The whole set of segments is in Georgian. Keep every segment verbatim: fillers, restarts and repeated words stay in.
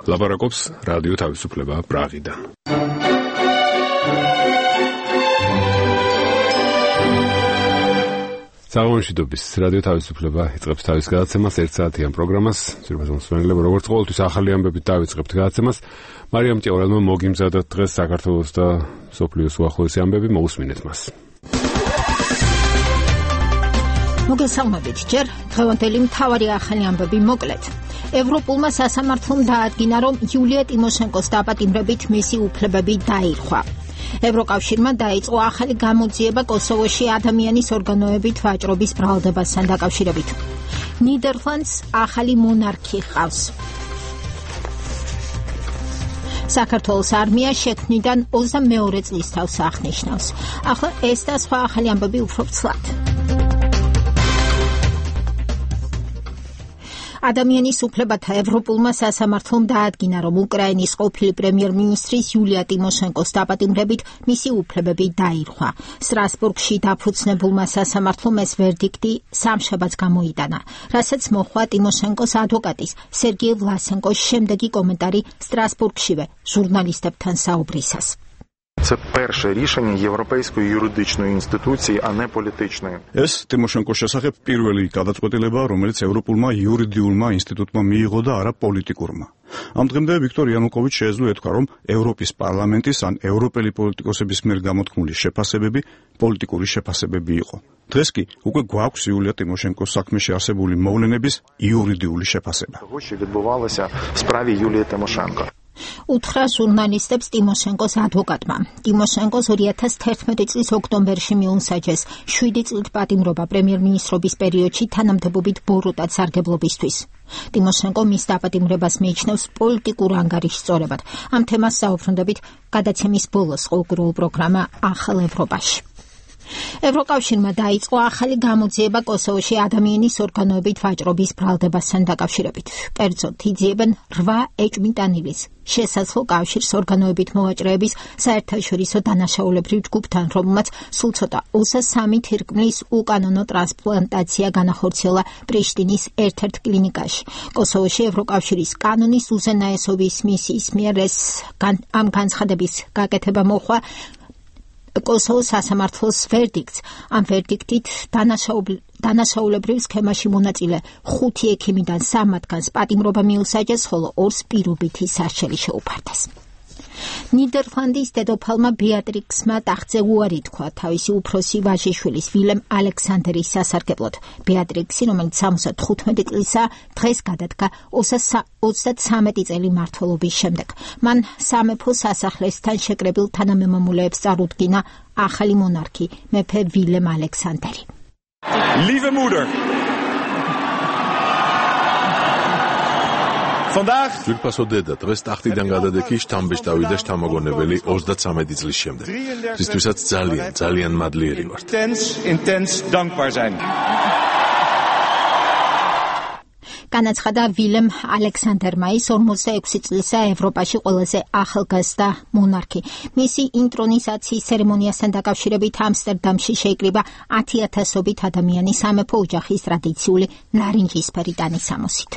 ლაპარაკობს რადიო თავისუფლება პრაღიდან. საღამოშიდობის რადიო თავისუფლება იწყებს თავის გადაცემას ერთ საათიან პროგრამას. ძირფას მოსვენელებო როგორც ყოველთვის ახალი ამბებით დავიწყებთ გადაცემას. მარიამ ჭევრანმა მოგიმზადოთ დღეს საქართველოს და სოფლიოს უახლოესი ამბები, მოусმინეთ მას. მოგესალმებით ჯერ დღევანდელი მთავარი ახალი ამბები მოკლედ. ევროპულმა სასამართლომ დაადგინა, რომ იულია ტიმოშენკოს დაპატიმრებით მისი უფლებები დაირღვა. ევროკავშირმა დაიწყო ახალი გამოძიება კოსოვოში ადამიანის ორგანოებით ვაჭრობის ბრალდებასთან დაკავშირებით. ნიდერლანდს ახალი მონარქი ჰყავს. საქართველოს არმია შექმნიდან ოცდამეორე წლის თავს აღნიშნავს. ახლა ეს და სხვა ახალი ამბები უფრო ცლად. ადამიანის უფლებათა ევროპულმა სასამართლომ დაადგინა, რომ უკრაინის ყოფილი პრემიერ-მინისტრის იულია ტიმოშენკოს დაპატიმრებით მისი უფლებები დაირღვა. სტრასბურგში დაფუძნებულმა სასამართლომ ეს ვერდიქტი სამშაბათს გამოიტანა, რასაც მოჰყვა ტიმოშენკოს ადვოკატის სერგეი ვლასენკოს შემდეგი კომენტარი სტრასბურგშივე ჟურნალისტებთან საუბრისას. Це перше рішення Європейської юридичної інституції, а не політичної. ეს ტიმოშენკოს შესახებ პირველი გადაწყვეტილება, რომელიც ევროპულმა იურიდიულმა ინსტიტუტმა მიიღო და არა პოლიტიკურმა. ამ დღემდე ვიქტორ იანუკოვიჩ შეეძლო ეთქვა, რომ ევროპის პარლამენტის ან ევროპელი პოლიტიკოსების მიერ გამოთქმული შეფასებები პოლიტიკური შეფასებები იყო. დღეს კი უკვე გვაქვს იულია ტიმოშენკოს საქმეში არსებული მოვლენების იურიდიული შეფასება. Того, що відбувалося в справі Юлії Тимошенко. უთხრა ჟურნალისტებს ტიმოშენკოს ადვოკატმა. ტიმოშენკოს ორი ათას თერთმეტი წლის ოქტომბერში მიუნსაჯეს შვიდი წლით პატიმრობა პრემიერ-მინისტრობის პერიოდში თანამდებობით ბოროტად სარგებლობისთვის. ტიმოშენკო მის დაპატიმრებას მიიჩნევს პოლიტიკურ ანგარიშსწორებად. ამ თემას საუბრობთ გადაცემის ბოლოს ყოველდღიურ პროგრამა ახალ ევროპაში. ევროკავშირმა დაიწყო ახალი გამოძიება კოსოვოში ადამიანის ორგანოებით ვაჭრობის ბრალდებასთან დაკავშირებით. კერძოდ, იძიებენ რვა ეჭვმიტანილის შესაძლო კავშირს ორგანოებით მოვაჭრეების საერთაშორისო დანაშაულებრივ ჯგუფთან, რომელმაც სულ ცოტა ოცდასამი თირკმლის უკანონო ტრანსპლანტაცია განახორციელა პრიშტინის ერთ-ერთ კლინიკაში. კოსოვოში ევროკავშირის კანონის უზენაესობის მისიის მიერ ეს ამ განცხადების გაკეთება მოხდა კოსოვოს სასამართლოს ვერდიქტს. ამ ვერდიქტით დანაშაულებრივ სქემაში მონაწილე ხუთი ექიმიდან სამ მათგანს პატიმრობა მიუსაჯეს, ხოლო ორს პირობითი სასჯელი შეუფარდეს. ნიდერლანდის დედოფალმა ბეატრიქსმა ტახტზე უარი თქვა თავისი უფროსი ვაჟიშვილის ვილემ ალექსანდერის სასარგებლოდ. ბეატრიქსი, რომელიც სამოცდათხუთმეტი წლისაა, დღეს გადადგა ოცდათვრამეტი წელი მმართველობის შემდეგ. მან სამეფო სასახლესთან შეკრებილ თანამემამულეებს წარუდგინა ახალი მონარქი მეფე ვილემ ალექსანდერი. Lieve moeder. ძვირფასო დედა, დღეს ტახტიდან გადადექი შთამბეჭდავი და შთამოგონებელი ოცდათვრამეტი წლის შემდეგ. რისთვისაც ძალიან, ძალიან მადლიერი ვართ. Intens dankbaar zijn. განაცხადა ვილემ ალექსანდერმა, ის ორმოცდაექვსი წლისა ევროპაში ყველაზე ახალგაზრდა მონარქი. მისი ინტრონიზაციის ცერემონიასთან დაკავშირებით ამსტერდამში შეიკრიბა ათი ათასობით ადამიანი სამეფო ოჯახის ტრადიციული ნარინჯისფერი ტანისამოსით.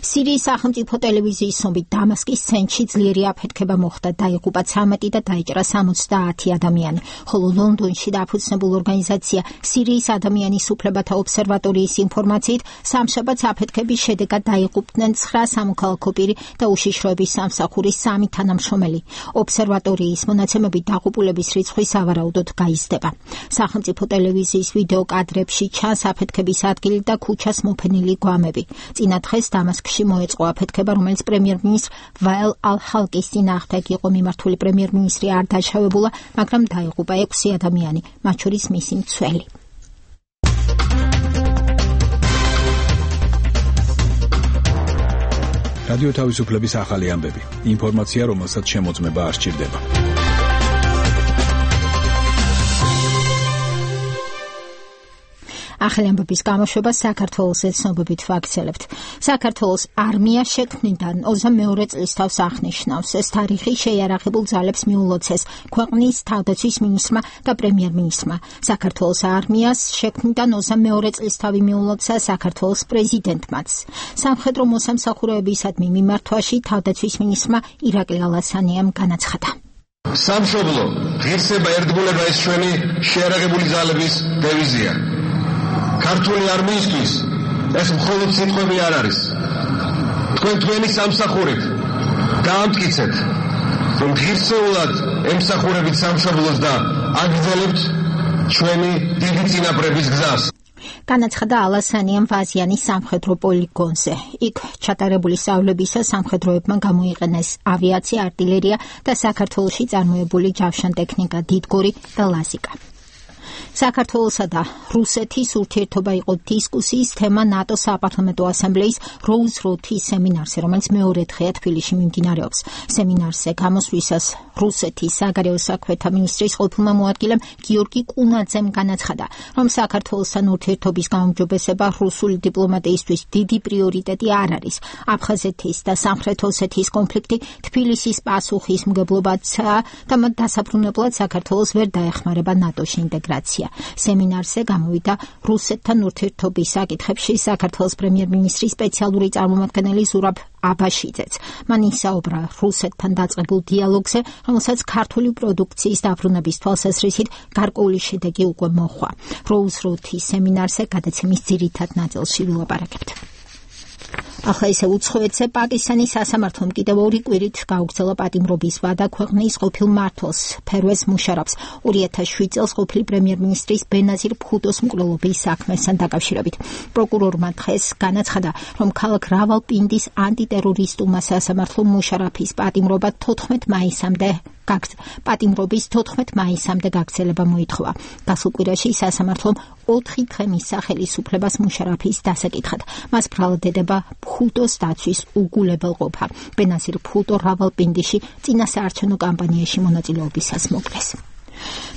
სირიის სახელმწიფო ტელევიზიის ცნობით დამასკის ცენტრში ძლიერი აფეთქება მოხდა, დაიღუპა ცამეტი და დაიჭრა სამოცდაათი ადამიანი, ხოლო ლონდონში დაფუძნებულ ორგანიზაცია სირიის ადამიანის უფლებათა ობსერვატორიის ინფორმაციით სამშაბათს აფეთქების შედეგად დაიღუპდნენ ცხრა სამოქალაქო პირი და უშიშროების სამსახურის სამი თანამშრომელი. ობსერვატორიის მონაცემებით დაღუპულების რიცხვი სავარაუდოდ გაიზრდება. სახელმწიფო ტელევიზიის ვიდეო კადრებში ჩანს აფეთქების ადგილი და ქუჩას მოფენილი გვამები. წინა დღეს დამასკში მოეწყო აფეთქება, რომელიც პრემიერ-მინისტრ ვაელ ალ-ჰალკის წინააღმდეგ იყო მიმართული. პრემიერ-მინისტრი არ დაშავებულა, მაგრამ დაიღუპა ექვსი ადამიანი, მათ შორის მისი მცველი. რადიო თავისუფლების ახალი ამბები. ინფორმაცია, რომელსაც შემოწმება არ სჭირდება. ახალი ამბების გამოშვება საქართველოს ეთნობებით ვაქცელებთ. საქართველოს არმია შექმნიდან ოცდამეორე წლის თავს აღნიშნავს. ეს თარიღი შეიარაღებულ ძალებს მიულოცეს ქვეყნის თავდაცვის მინისტრმა და პრემიერ-მინისტრმა. საქართველოს არმიას შექმნიდან ოცდამეორე წლის თავი მიულოცა საქართველოს პრეზიდენტმაც. სამხედრო მოსამსახურეებისადმი მიმართვაში თავდაცვის მინისტრმა ირაკლი ალასანიამ განაცხადა. სამშობლო, ღირსება, ერთგულება ეს ჩვენი შეიარაღებული ძალების დევიზია. ქართული არმიისთვის ეს მხოლოდ სიტყვები არ არის. თქვენ თქვენი სამსახურით გაამტკიცეთ, რომ ღირსეულად ემსახურებით სამშობლოს და აგრძელებთ ჩვენი დიდი წინაპრების გზას. განაცხადა ალასანიამ ვაზიანის სამხედრო პოლიგონზე. იქ ჩატარებული სწავლებისას სამხედროებმა გამოიყენეს ავიაცია, არტილერია და საქართველოში წარმოებული ჯავშანტექნიკა, დიდგორი და ლაზიკა. საქართველოსა და რუსეთის ურთიერთობა იყო დისკუსიის თემა ნატოს საპარლამენტო ასამბლეის როუზ-როთის სემინარზე, რომელიც მეორე დღეა თბილისში მიმდინარეობს. სემინარზე გამოსვლისას რუსეთის საგარეო საქმეთა მინისტრის ყოფილმა მოადგილემ გიორგი კუნაძემ განაცხადა, რომ საქართველოსთან ურთიერთობის გაუმჯობესება რუსული დიპლომატიისთვის დიდი პრიორიტეტი არ არის. აფხაზეთის და სამხრეთ ოსეთის კონფლიქტი თბილისის პასუხისმგებლობაცაა და მათ დასაბრუნებლად საქართველოს ვერ დაეხმარება ნატოში ინტეგრაცია. სემინარზე გამოვიდა რუსეთთან ურთიერთობის საკითხებში საქართველოს პრემიერ-მინისტრის სპეციალური წარმომადგენელი ზურაბ აბაშიძეც. მან ისაუბრა რუსეთთან დაწყებულ დიალოგზე, რომელსაც ქართული პროდუქციის დაბრუნების თვალსაზრისით გარკვეული შედეგი უკვე მოჰყვა. როუზ-როთის სემინარზე გადაცემის ძირითად ნაწილში ვილაპარაკებთ. ახლა ისე უცხოეთზე პაკისტანის სასამართლომ კიდევ ორი კვირით გაუგრძელა პატიმრობის ვადა ქვეყნის ყოფილ მმართველს ფერვეზ მუშარაფს ორი ათას შვიდ წელს ყოფილი პრემიერ-მინისტრის ბენაზირ ბჰუტოს მკვლელობის საქმესთან დაკავშირებით. პროკურორმა დღეს განაცხადა, რომ ქალაქ რავალპინდის ანტიტერორისტულმა სასამართლომ მუშარაფის პატიმრობა თოთხმეტ მაისამდე პატიმრობის თოთხმეტ მაისამდე გაგრძელება მოითხოვა. გასულ კვირაში სასამართლომ ოთხი დღე მისცა ხელისუფლებას მუშარაფის დასაკითხად. მას ბრალდება ბჰუტოს დაცვის უგულებელყოფა. ბენაზირ ბჰუტო რავალპინდიში წინა საარჩევნო კამპანიაში მონაწილეობისას მოკლეს.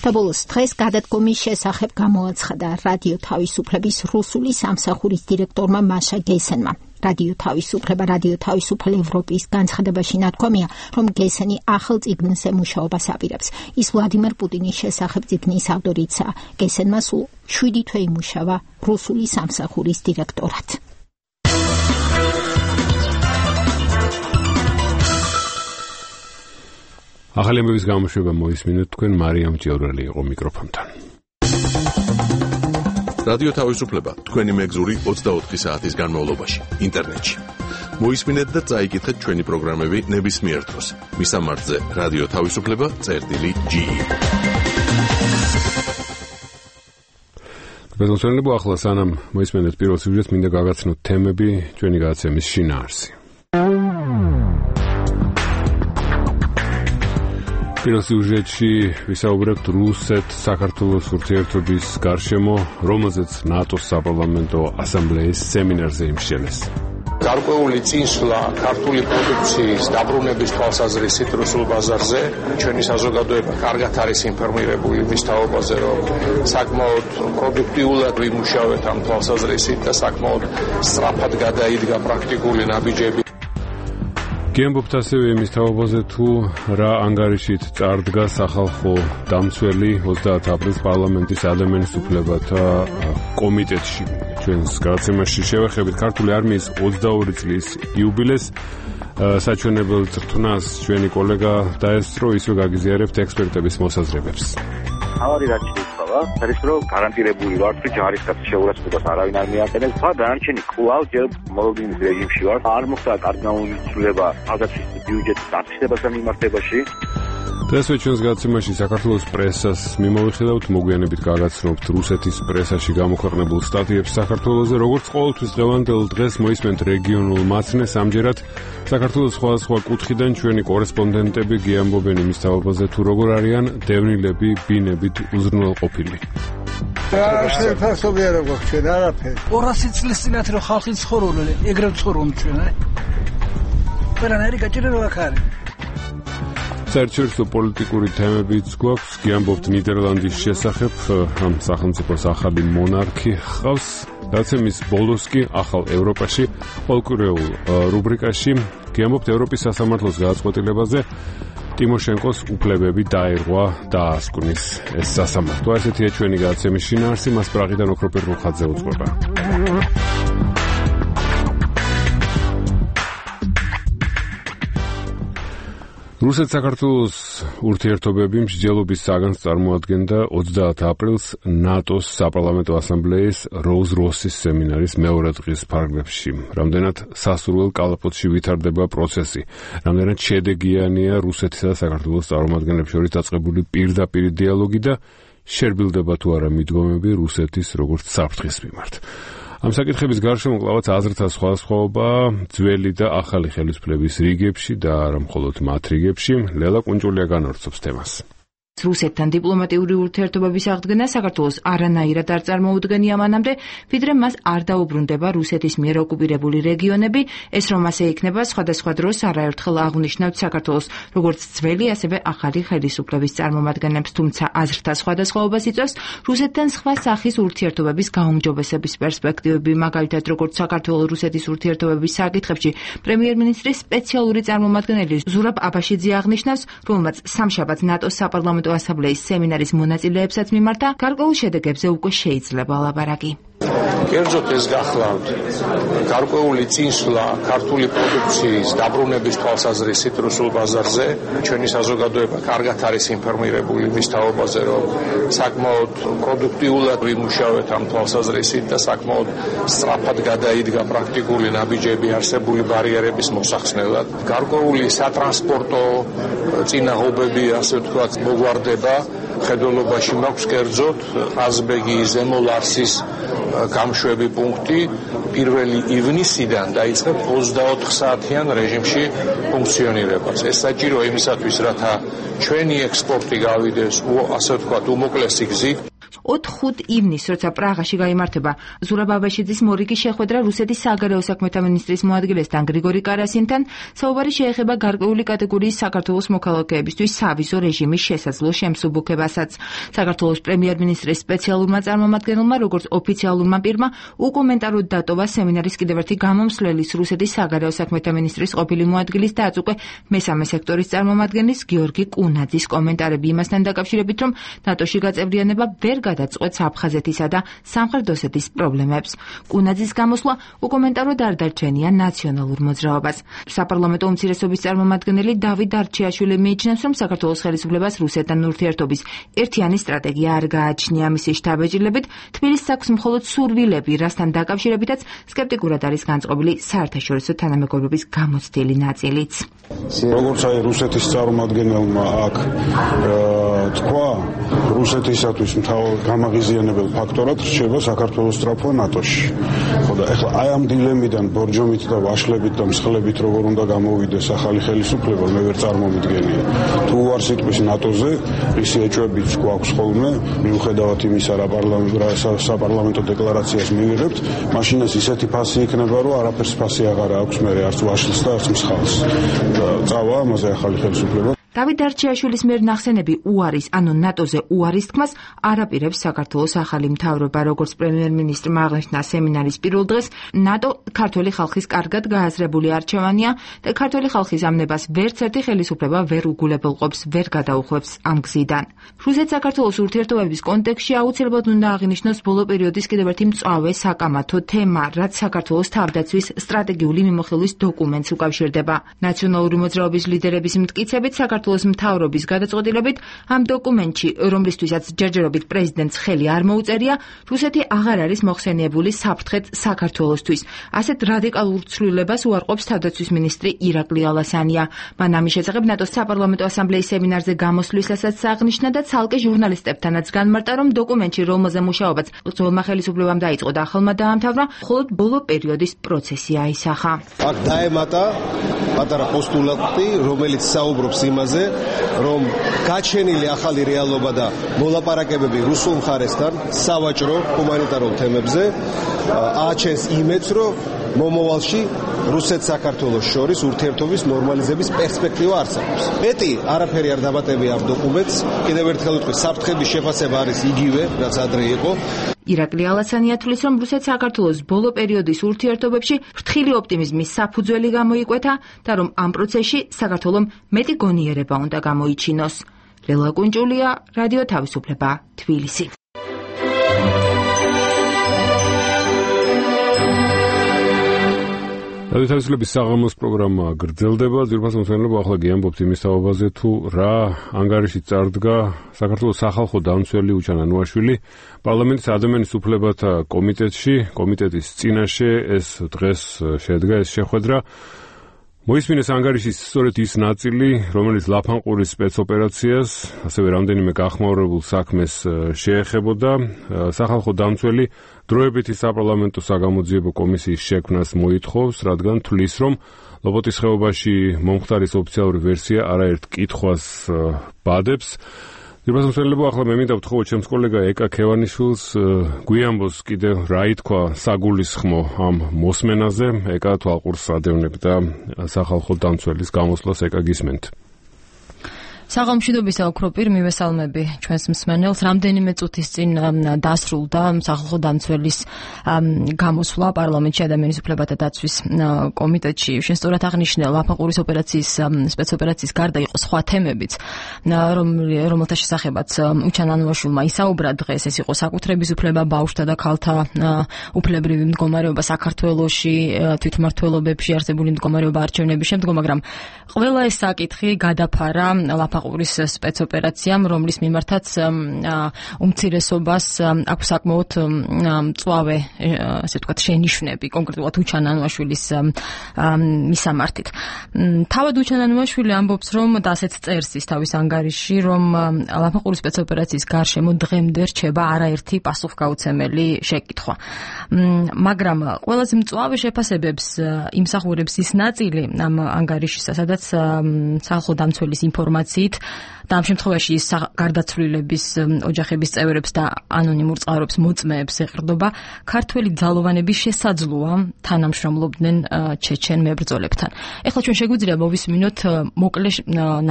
და ბოლოს დღეს გადადგომის შესახებ გამოაცხადა რადიო თავისუფლების რუსული სამსახურის დირექტორმა მაშა გესენმა. რადიო თავისუფლება, რადიო თავისუფლ ევროპის განცხადებაში ნათქვამია, რომ გესენი ახალ წიგნზე მუშაობას აპირებს. ის ვლადიმერ პუტინის შესახებ წიგნის ავტორიცაა. გესენმა სულ შვიდი თვე იმუშავა რუსული სამსახურის დირექტორად. ახალი ამბების გამოშვება მოისმინეთ თქვენ, მარიამ ჭიორელი იყო მიკროფონთან. რადიო თავისუფლება თქვენი მეგზური ოცდაოთხი საათის განმავლობაში ინტერნეტში. მოისმინეთ და წაიკითხეთ ჩვენი პროგრამები ნებისმიერ დროს. მისამართზე რადიო თავისუფლება წერტილი ჯი. ბეზოსენლებო ახლა სანამ მოისმინეთ პირველ სიუჟეტს, მინდა გაგაცნოთ თემები ჩვენი გადაცემის შინაარსი. პირველ სიუჟეტში ვისაუბრებთ რუსეთ-საქართველოს ურთიერთობის გარშემო, რომელზეც ნატოს საპარლამენტო ასამბლეის სემინარზე იმსჯელეს. გარკვეული წინსვლა ქართული პროდუქციის დაბრუნების თვალსაზრისით რუსულ ბაზარზე. ჩვენი საზოგადოება კარგად არის ინფორმირებული მის თაობაზე, რომ საკმაოდ პროდუქტიულად ვიმუშავეთ ამ თვალსაზრისით და საკმაოდ სწრაფად გადაიდგა პრაქტიკული ნაბიჯები. გიამბობთ ასევე იმის თაობაზე, თუ რა ანგარიშით წარდგა სახალხო დამცველი ოცდაათი აპრილის პარლამენტის ადამიანის უფლებათა კომიტეტში. ჩვენს გადაცემაში შევეხებით ქართული არმიის ოცდაორი წლის იუბილეს. საჩვენებელ წრთვნას ჩვენი კოლეგა დაესწრო, ისე გაგიზიარებთ ექსპერტების მოსაზრებებს. ავარი რაც შეიცვალა, არის რომ გარანტირებული ვარ, რომ ჯარისკაცის შეურაცხყოფას არავინ არ მიაყენებს. და დანარჩენი კვლავ ჯერ მოლოდინის რეჟიმში ვარ. არ მოხდა კარგი გამოცდილება თავდაცვის ბიუჯეტის დაფიქსირებასთან მიმართებაში. დღეს ჩვენს გადაცემაში საქართველოს პრესას მიმოვიხილავთ, მოგვიანებით გაგაცნობთ რუსეთის პრესაში გამოქვეყნებულ სტატიებს საქართველოზე. როგორც ყოველთვის დღევანდელ დღეს მოისმენთ რეგიონულ მაცნეს, ამჯერად საქართველოს სხვადასხვა კუთხიდან ჩვენი კორესპონდენტები გიამბობენ იმის თაობაზე, თუ როგორ არიან დევნილები ბინებით უზრუნველყოფილი. რა შეფასობი არა გვაქვს ჩვენ არაფერი. ორასი წლის წინათ რომ ხალხი ცხოვრობდნენ, ეგრევე ცხოვრობდნენ ჩვენ, არა? ყველანაირი გაჭირება აქ არის. საერთაშორისო პოლიტიკური თემებიც გვაქვს. გიამბობთ ნიდერლანდის შესახებ, ამ სახელმწიფოს ახალი მონარქი ჰყავს. დაცემის ბოლოს კი ახალ ევროპაში პოლიტიკურ რუბრიკაში გიამბობთ ევროპის სასამართლოს გადაწყვეტილებაზე. ტიმოშენკოს უფლებები დაერღვა და ასკუნის ეს სასამართლო. ესეთია ჩვენი გადაცემის შინაარსი, მას პრაღიდან ოქროპირ რუხაძე უძღვება. რუსეთ-საქართველოს ურთიერთობები მსჯელობის საგანს წარმოადგენდა ოცდაათ აპრილს ნატოს საპარლამენტო ასამბლეის როუზ-როსის სემინარის მეორე დღის ფარგლებში. რამდენად სასურველ კალაპოტში ვითარდება პროცესი, რამდენად შედეგიანია რუსეთისა და საქართველოს წარმომადგენლებს შორის დაწყებული პირდაპირი დიალოგი და შერბილდება თუ არა მიდგომები რუსეთის როგორც საფრთხის მიმართ. ამ საკითხების გარშემო კლავაც აზრთა სხვადასხვაობა ძველი და ახალი ხელისუფლების რიგებში და არა მხოლოდ მათ რიგებში. ლელა კუნჭულია განავრცობს თემას. რუსეთთან დიპლომატიური ურთიერთობების აღდგენა საქართველოს არანაირად არ წარმოუდგენია მანამდე, ვიდრე მას არ დაუბრუნდება რუსეთის მიერ ოკუპირებული რეგიონები, ეს რომ ასე იქნება სხვადასხვა დროს არაერთხელ აღნიშნავთ საქართველოს როგორც ძველი, ასევე ახალი ხელისუფლების წარმომადგენლებს, თუმცა აზრთა სხვადასხვაობას იწვევს რუსეთთან სხვა სახის ურთიერთობების გაუმჯობესების პერსპექტივები, მაგალითად როგორც საქართველოს-რუსეთის ურთიერთობების საკითხებში პრემიერ-მინისტრის სპეციალური წარმომადგენელი ზურაბ აბაშიძე აღნიშნავს, რომელმაც სამშაბათს ნატოს საპარლამენტო ასამბლეის სემინარის მონაწილეებსაც მიმართა, გარკვეულ შედეგებზე უკვე შეიძლება ლაპარაკი. კერძოდ ეს გახლავთ გარკვეული წინსვლა ქართული პროდუქციის დაბრუნების თვალსაზრისით რუსულ ბაზარზე. ჩვენი საზოგადოება კარგად არის ინფორმირებული მის თაობაზე, რომ საკმაოდ პროდუქტიულად ვიმუშავეთ ამ თვალსაზრისით და საკმაოდ სწრაფად გადაიდგა პრაქტიკული ნაბიჯები არსებული ბარიერების მოსახსნელად. გარკვეული სატრანსპორტო წინაღობები, ასე ვთქვათ, მოგვარდება. ხედველობაში მაქვს კერძოდ ყაზბეგი ზემო ლარსის გამშვები პუნქტი პირველი ივნისიდან დაიწყებს ოცდაოთხ საათიან რეჟიმში ფუნქციონირებას. ეს საჭირო იმისათვის, რათა ჩვენი ექსპორტი გავიდეს, ასე ვთქვათ, უმოკლესი გზით. ოთხ-ხუთ ივნისს, როცა პრაღაში გაიმართება ზურაბ აბაშიძის მორიგი შეხვედრა რუსეთის საგარეო საქმეთა მინისტრის მოადგილესთან გრიგორი კარასინთან, საუბარი შეეხება გარკვეული კატეგორიის საქართველოს მოქალაქეებისთვის სავიზო რეჟიმის შესაძლო შემსუბუქებასაც. საქართველოს პრემიერ-მინისტრის სპეციალურმა წარმომადგენელმა, როგორც ოფიციალურმა პირმა, უკომენტაროდ დატოვა სემინარის კიდევ ერთი გამომსვლელის რუსეთის საგარეო საქმეთა მინისტრის ყოფილი მოადგილის და აწუყე მესამე სექტორის წარმომადგენლის გიორგი კუნაძის კომენტარები იმასთან დაკავშირებით, რომ ნატოში გაწევრიანება ვერ გადაწყვეტს აფხაზეთისა და სამხრეთ ოსეთის პრობლემებს. კუნაძის გამოსვლა უკომენტაროდ არ დარჩენია ნაციონალურ მოძრაობას. საპარლამენტო უმცირესობის წარმომადგენელი დავით არჩიაშვილი მიიჩნევს, რომ საქართველოს ხელისუფლებას რუსეთთან ურთიერთობის ერთიანი სტრატეგია არ გააჩნია. მისი შთაბეჭდილებით თბილისს აქვს მხოლოდ სურვილები, რასთან დაკავშირებითაც სკეპტიკურად არის განწყობილი საერთაშორისო თანამეგობრობის გამოცდილი ნაწილიც. როგორც აი რუსეთის წარმომადგენელმა აქ თქვა, რუსეთისათვის მთავარ გამაღიზიანებელ ფაქტორად რჩება საქართველოს სწრაფვა ნატოში. ხო და ეხლა აი ამ დილემიდან ბორჯომით და ვაშლებით და მსხლებით როგორ უნდა გამოვიდეს ახალი ხელისუფლება, მე ვერ წარმომიდგენია. თუ არ სიტყვის ნატოზე, ისი ეჭვებიც გვაქვს ხოლმე, მიუხედავად იმისა, რა საპარლამენტო დეკლარაციას მივიღებთ, მაშინ ეს ისეთი ფასი იქნება, რომ არაფერს ფასი აღარ აქვს მე არც ვაშლს და არც მსხალს. და წავა ამაზე ახალი ხელისუფლება. დავით არჩიაშვილის მიერ ნახსენები უარის, ანუ ნატოზე უარის თქმას არაპირებს საქართველოს ახალი მთავრობა, როგორც პრემიერ-მინისტრმა აღნიშნა სემინარის პირველ დღეს, ნატო ქართველი ხალხის კარგად გააზრებული არჩევანია და ქართველი ხალხის ამნებას ვერც ერთი ხელისუფლება ვერ უგულებელყოფს, ვერ გადაუხვევს ამ გზიდან. რუსეთ-საქართველოს ურთიერთობების კონტექსტში აუცილებლად უნდა აღინიშნოს ბოლო პერიოდის კიდევ ერთი მწვავე საკამათო თემა, რაც საქართველოს თავდაცვის სტრატეგიული მიმოხილვის დოკუმენტს უკავშირდება. ნაციონალური მოძრაობის ლიდერების მტკიცებით საქართველოს მთავრობის გადაწყვეტილებით ამ დოკუმენტში, რომლისთვისაც ჯერჯერობით პრეზიდენტს ხელი არ მოუწერია, რუსეთი აღარ არის მოხსენიებული საფრთხედ საქართველოსთვის. ასეთ რადიკალურ ცვლილებას უარყოფს თავდაცვის მინისტრი ირაკლი ალასანია. მან ამის შესახებ ნატოს საპარლამენტო ასამბლეის სემინარზე გამოსვლისასაც აღნიშნა და ცალკე ჟურნალისტებთანაც განმარტა, რომ დოკუმენტში, რომელზე მუშაობაც ძველმა ხელისუფლებამ დაიწყო და ახალმა დაამთავრა, მხოლოდ ბოლო პერიოდის პროცესი აისახა. აქ დაემატა პატარა პოსტულატი, რომელიც საუბრობს იმაზე, რომ გაჩენილი ახალი რეალობა და მოლაპარაკებები რუსულ მხარესთან სავაჭრო ჰუმანიტარულ თემებზე აჩენს იმედს, რომ მომავალში რუსეთ-საქართველოს შორის ურთიერთობის ნორმალიზების პერსპექტივა არსებობს. მეტი არაფერი არ დამატებია ამ დოკუმენტს. კიდევ ერთხელ ვიტყვი, საფრთხების შეფასება არის იგივე, რაც ადრე იყო. ირაკლი ალასანი ათვლის, რომ რუსეთ-საქართველოს ბოლო პერიოდის ურთიერთობებში ფრთხილი ოპტიმიზმის საფუძველი გამოიკვეთა და რომ ამ პროცესში საქართველომ მეტი გონიერება უნდა გამოიჩინოს. ლელა კუნჭულია, რადიო თავისუფლება, თბილისი. რადიო თავისუფლების საღამოს პროგრამა გრძელდება. ძვირფასო მსმენელებო, ახლა გიამბობთ იმის თაობაზე, თუ რა ანგარიში წარდგა საქართველოს სახალხო დამცველი უჩან ანუაშვილი პარლამენტის ადამიანის უფლებათა კომიტეტში, კომიტეტის წინაშე ეს დღეს შედგა ეს შეხვედრა. მოისმინეს ანგარიშის სწორედ ის ნაწილი, რომელიც ლაფანყურის სპეცოპერაციას, ასევე რამდენიმე გახმაურებულ საქმეს შეეხებოდა. სახალხო დამცველი დროებითი საპარლამენტო საგამოძიებო კომისიის შექმნას მოითხოვს, რადგან თვლის, რომ ლობოტის ხეობაში მომხდარის ოფიციალური ვერსია არაერთ კითხვას ბადებს. ძვირფასო მსმენელებო, ახლა მე მინდა ვთხოვო ჩემს კოლეგა ეკა ქევანიშვილს გვიამბოს კიდევ რა ითქვა საგულისხმო ამ მოსმენაზე. ეკა თვალყურს ადევნებდა სახალხო დამცველის გამოსვლას. ეკა გისმენთ. საღამოშიდობის ოქროპირ მივესალმები ჩვენს მსმენელს. რამდენიმე წუთის წინ დასრულდა სახალხო დამცველის გამოსვლა პარლამენტში ადამიანის უფლებათა დაცვის კომიტეტში. შესწორად აღნიშნე ლაფანყურის ოპერაციის სპეცოპერაციის გარდა იყო სხვა თემებიც, რომელთა შესახებაც უჩან ანუაშვილმა ისაუბრა დღეს. ეს იყო საკუთრების უფლება, ბავშვთა და ქალთა უფლებრივი მდგომარეობა საქართველოში, თვითმმართველობებში არსებული მდგომარეობა არჩევნების შემდგომ, მაგრამ ყველა ეს საკითხი გადაფარა ლაფანყურის სპეცოპერაციამ, რომლის მიმართაც უმცირესობას აქვს საკმაოდ მწვავე, ასე ვთქვათ, შენიშვნები, კონკრეტულად უჩან ანუაშვილის მისამართით. თავად უჩან ანუაშვილი ამბობს, რომ და ასეც წერს ის თავის ანგარიში, რომ ლაფანყურის სპეცოპერაციის გარშემო დღემდე რჩება არაერთი პასუხგაუცემელი შეკითხვა. მაგრამ ყველაზე მწვავე შეფასებებს იმსახურებს ის ნაწილი ამ ანგარიშისა, სადაც სახალხო დამცველის ინფორმაციით და ამ შემთხვევაში ის გარდაცვლილების ოჯახების წევრებს და ანონიმურ წყაროებს მოწმეებს ეყრდობა, ქართველი ძალოვანების შესაძლოა თანამშრომლობდნენ ჩეჩენ მებრძოლებთან. ეხლა ჩვენ შეგვიძლია მოვისმინოთ მოკლე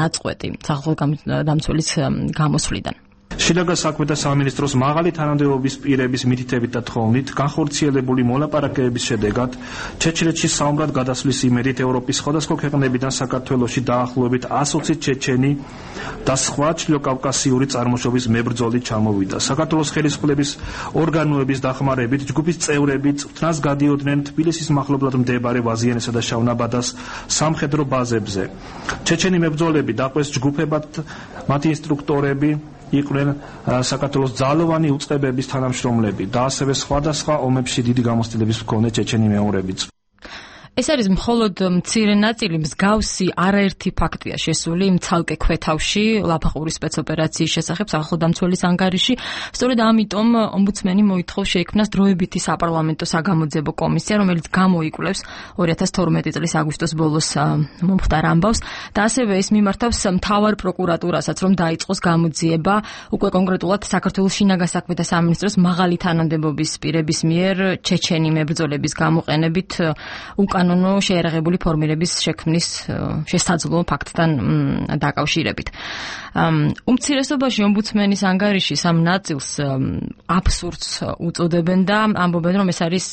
ნაწყვეტი სახალხო დამცველის გამოსვლიდან. შინაგან საქმეთა სამინისტროს მაღალი თანამდებობის პირების მითითებით და თხოვნით განხორციელებული მოლაპარაკებების შედეგად ჩეჩნეთში საომრად გადასვლის იმედით ევროპის სხვადასხვა ქვეყნებიდან საქართველოში დაახლოებით ასოცი ჩეჩენი და სხვა ჩრდილოკავკასიური წარმოშობის მებრძოლი ჩამოვიდა. საქართველოს ხელისუფლების ორგანოების დახმარებით ჯგუფის წევრები წვრთნას გადიოდნენ თბილისის მახლობლად მდებარე ვაზიანესა და შავნაბადას სამხედრო ბაზებზე. ჩეჩენი მებრძოლები დაყვეს ჯგუფებად, მათი ინსტრუქტორები იყვნენ საქართველოს ძალოვანი უწყებების თანამშრომლები და ასევე სხვადასხვა ომებში დიდი გამოცდილების მქონე ჩეჩენი მეომრებიც. ეს არის მხოლოდ მცირე ნაწილი, მსგავსი არაერთი ფაქტია შესული იმ ცალკე ქვეთავში ლაფანყურის სპეცოპერაციის შესახებ სახალხო დამცველის ანგარიში. სწორედ ამიტომ ომბუდსმენი მოითხოვს შეიქმნას დროებითი საპარლამენტო საგამოძიებო კომისია, რომელიც გამოიკვლევს ორი ათას თორმეტი წლის აგვისტოს ბოლოს მომხდარ ამბავს და ასევე ეს მიმართავს მთავარ პროკურატურასაც, რომ დაიწყოს გამოძიება უკვე კონკრეტულად საქართველოს შინაგან საქმეთა სამინისტროს მაღალი თანამდებობის პირების მიერ ჩეჩენი მებრძოლების გამოყენებით უკან კანონო შეერაღებული ფორმირების შექმნის შესაძლო ფაქტთან დაკავშირებით. უმცირესობაში ომბუდსმენის ანგარიში სამ ნაწილს აბსურდს უწოდებენ და ამბობენ, რომ ეს არის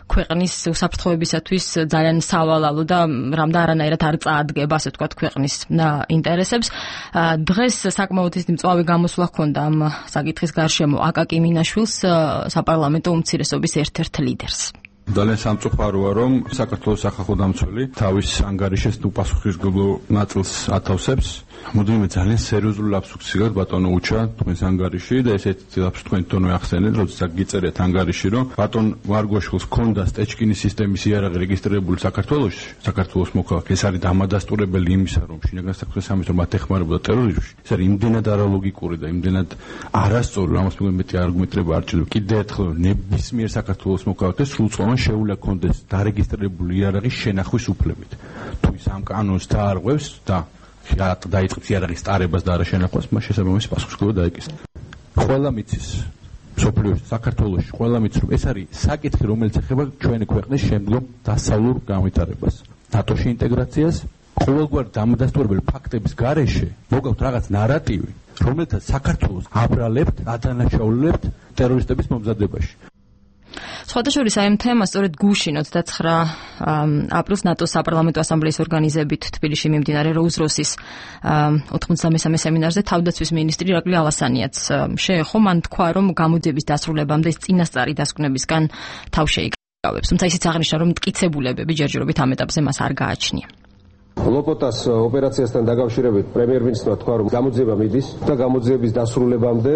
ქვეყნის უსაფრთხოებისათვის ძალიან სავალალო და რამდა არანაირად არ წაადგება, ასე ვთქვათ, ქვეყნის ინტერესებს. დღეს საკმაოდ ის მწვავე გამოსვლა ჰქონდა ამ საკითხის გარშემო აკაკი მინაშვილს, საპარლამენტო უმცირესობის ერთ-ერთ ლიდერს. ძალიან სამწუხაროა, რომ საქართველოს სახალხო დამცველი თავის ანგარიშის უპასუხისმგებლო ნაწილს ათავსებს. მოდივე ძალიან სერიოზული ლაფსუსი გაქვს ბატონო უჩა თქვენს ანგარიში და ესეთი ლაფსუსი თქვენ თვითონ ახსენეთ, როდესაც გიწერეთ ანგარიში, რომ ბატონ ვარგოშვილს ჰქონდა სტეჩკინის სისტემის იარაღი რეგისტრირებული საქართველოში, საქართველოს მოქალაქე. ეს არის დამადასტურებელი იმისა, რომ შინაგან საქმეთა სამინისტრო მათ ეხმარებოდა ტერორიზმში. ეს არის იმდენად არალოგიკური და იმდენად არასწორი, ამას მეგონი მეტი არგუმენტირება არ ჭირდება. კიდევ ერთხელ ნებისმიერ საქართველოს მოქალაქეს სრულწლოვან შეუძლია კონდეს დარეგისტრირებული იარაღის შენახვის უფლებით. თუ ის ამ კანონს დაარღვევს და დაიწყებს იარაღის ტარებას და არა შენახვას, მას შესაბამისი პასუხისმგებლობა დაეკისრება. ყველა მიცის სოფლიოში, საქართველოში, ყველა მის რომ ეს არის საკითხი, რომელიც ეხება ჩვენი ქვეყნის შემდგომ დასავლურ განვითარებას, ნატოში ინტეგრაციას, ყოველგვარ დამადასტურებელი ფაქტების გარეშე მოგავთ რაღაც ნარატივი, რომელთაც საქართველოს აბრალებთ, ადანაშაულებთ ტერორისტების მომზადებაში. სხვადასხვა აი ამ თემას სწორედ გუშინ ოცდაცხრა აპრილს ნატოს საპარლამენტო ასამბლეის ორგანიზებით თბილისში მიმდინარე როუზ-როსის ოთხმოცდამესამე სემინარზე თავდაცვის მინისტრი ირაკლი ალასანიაც შეეხო, მან თქვა, რომ გამოძიების დასრულებამდე ის წინასწარი დასკვნებისგან თავ შეიკავებს, თუმცა ისიც აღნიშნა, რომ მტკიცებულებები ჯერჯერობით ამ ეტაპზე მას არ გააჩნია. ლოპოტას ოპერაციასთან დაკავშირებით პრემიერ-მინისტრმა თქვა, რომ გამოძიება მიდის და გამოძიების დასრულებამდე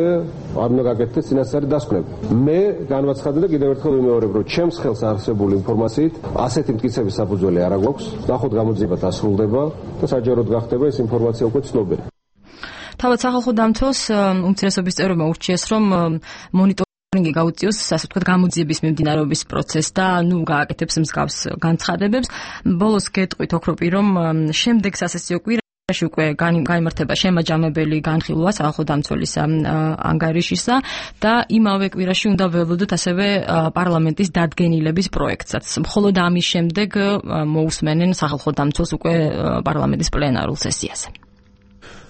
არ უნდა გაკეთდეს წინასწარი დასკვნები. მე განვაცხადე და კიდევ ერთხელ ვიმეორებ, რომ ჩემს ხელს არსებული ინფორმაციით ასეთი მტკიცების საფუძველი არ აქვს. ნახოთ გამოძიება დასრულდება და საჯაროდ გახდება ეს ინფორმაცია უკვე ცნობილი. თავად სახალხო დამცველს უმცირესობის წევრებმა ურჩიეს, რომ მონიტორინგი გაუწიოს, ასე ვთქვათ, გამოძიების მიმდინარეობის პროცესს და ნუ გააკეთებს მსგავს განცხადებებს. ბოლოს გეტყვით ოქროპი, რომ შემდეგ სასესიო კვირაში უკვე გაიმართება შემაჯამებელი განხილვა სახალხო დამცველის ანგარიშისა და იმავე კვირაში უნდა ველოდოთ ასევე პარლამენტის დადგენილების პროექტსაც. მხოლოდ ამის შემდეგ მოусმენენ სახალხო დამცველს უკვე პარლამენტის პლენარულ სესიაზე.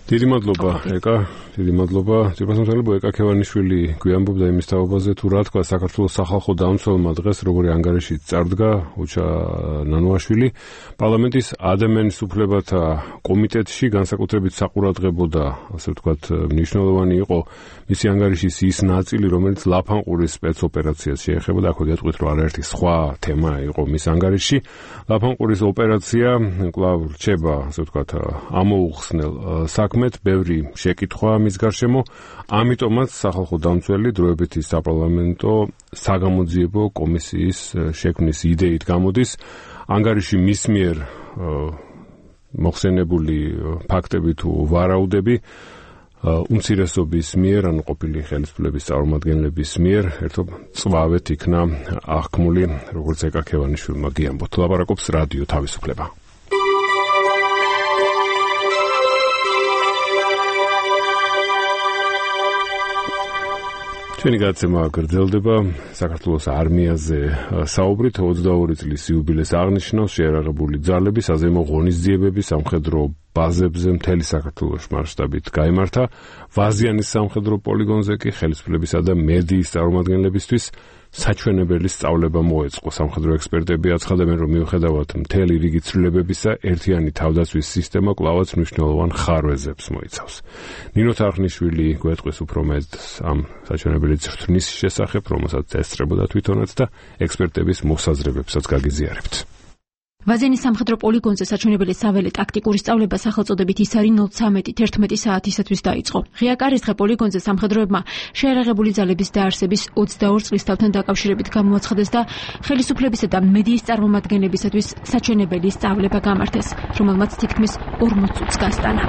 დიდი მადლობა ეკა, დიდი მადლობა ძირფასმოწმელებო ეკა ქევანიშვილი გვიამბობდა იმის თაობაზე, თუ რა თქვა საქართველოს სახალხო დამცველმა დღეს როგორი ანგარიში წარდგა უჩა ნანოაშვილი პარლამენტის ადამიანის უფლებათა კომიტეტში განსაკუთრებით საყურადღებო და ასე ვთქვათ მნიშვნელოვანი იყო მისი ანგარიშის ის ნაწილი, რომელიც ლაფანყურის სპეცოპერაციას შეეხება და ახლა გეტყვით, რომ არაერთი სხვა თემა იყო მის ანგარიშში. ლაფანყურის ოპერაცია კვლავ რჩება, ასე ვთქვათ, ამოუხსნელ საქმეთ, ბევრი შეკითხვა მის გარშემო, ამიტომაც სახალხო დამცველი დროებითი საპარლამენტო საგამოძიებო კომისიის შექმნის იდეით გამოდის. ანგარიში მის მიერ მოხსენებული ფაქტები თუ ვარაუდები უმცირესობის მიერ, ანუ ყოფილი ხელისუფლების წარმომადგენლების მიერ ერთობ წვავეთ იქნა აღქმული, როგორც ეკა ქევანიშვილმა გიამბოთ. ლაპარაკობს რადიო თავისუფლება. ჩვენი გადაცემა გრძელდება საქართველოს არმიაზე საუბრით. ოცდაორი წლის იუბილეს აღნიშნავს შეიარაღებული ძალები, საზეიმო ღონისძიებები სამხედრო ბაზებზე მთელი საქართველოს მასშტაბით გაიმართა. ვაზიანის სამხედრო პოლიგონზე კი ხელისუფლებისა და მედიის წარმომადგენლებისთვის საჩვენებელი სწავლება მოეწყო. სამხედრო ექსპერტები აცხადებენ, რომ მიუხედავად მთელი რიგი ცვლილებებისა, ერთიანი თავდაცვის სისტემა კვლავაც მნიშვნელოვან ხარვეზებს მოიცავს. ნინო თარხნიშვილი გვეტყვის უფრო მეტ ამ საჩვენებელი ცრთვნის შესახებ, რომელსაც ესწრებოდა თვითონაც და ექსპერტების მოსაზრებებსაც გაგიზიარებთ. ვაზენის სამხედრო პოლიგონზე საჩვენებელი საველე ტაქტიკური სწავლება სახელწოდებით ისარი ნულ ცამეტი თერთმეტი საათისათვის დაიწყო. ღია კარისხე პოლიგონზე სამხედროებმა შეიარაღებული ძალების დაარსების ოცდაორ წლისთავთან დაკავშირებით გამოაცხადეს და ხელისუფლებისა და მედიის წარმომადგენლებისათვის საჩვენებელი სწავლება გამართეს, რომელმაც თითქმის ორმოც წუთს გასტანა.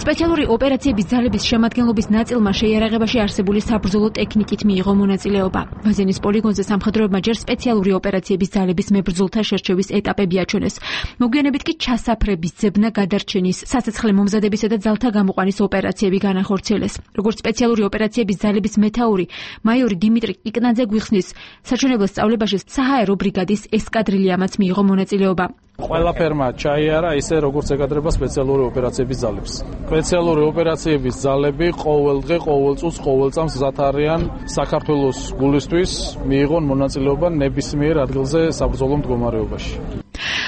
სპეციალური ოპერაციების ძალების შემადგენლობის ნაწილმა შეიარაღებაში არსებული საბრძოლო ტექნიკით მიიღო მონაწილეობა. ვაზენის პოლიგონზე სამხედროებმა ჯერ სპეციალური ოპერაციების ძალების მებრძოლთა შერჩევის ეტაპები აჩვენეს. მოგვიანებით კი ჩასაფრების ძებნა გადარჩენის, სასაცხლე მომზადებისა და ძალთა გამოყვანის ოპერაციები განახორციელეს. როგორც სპეციალური ოპერაციების ძალების მეთაური მაიორი დიმიტრი კიკნაძე გვიხსნის, საჩვენებელ სწავლებაში საჰაერო ბრიგადის ესკადრილიამაც მიიღო მონაწილეობა. ყველაფერმა ჩაიარა ისე როგორც ეკადრება სპეციალური ოპერაციების ძალებს. სპეციალური ოპერაციების ძალები ყოველ დღე, ყოველ წუთს, ყოველ წამს მზად არიან საქართველოს გულისთვის მიიღონ მონაწილეობა ნებისმიერ ადგილზე საბრძოლო მდგომარეობაში.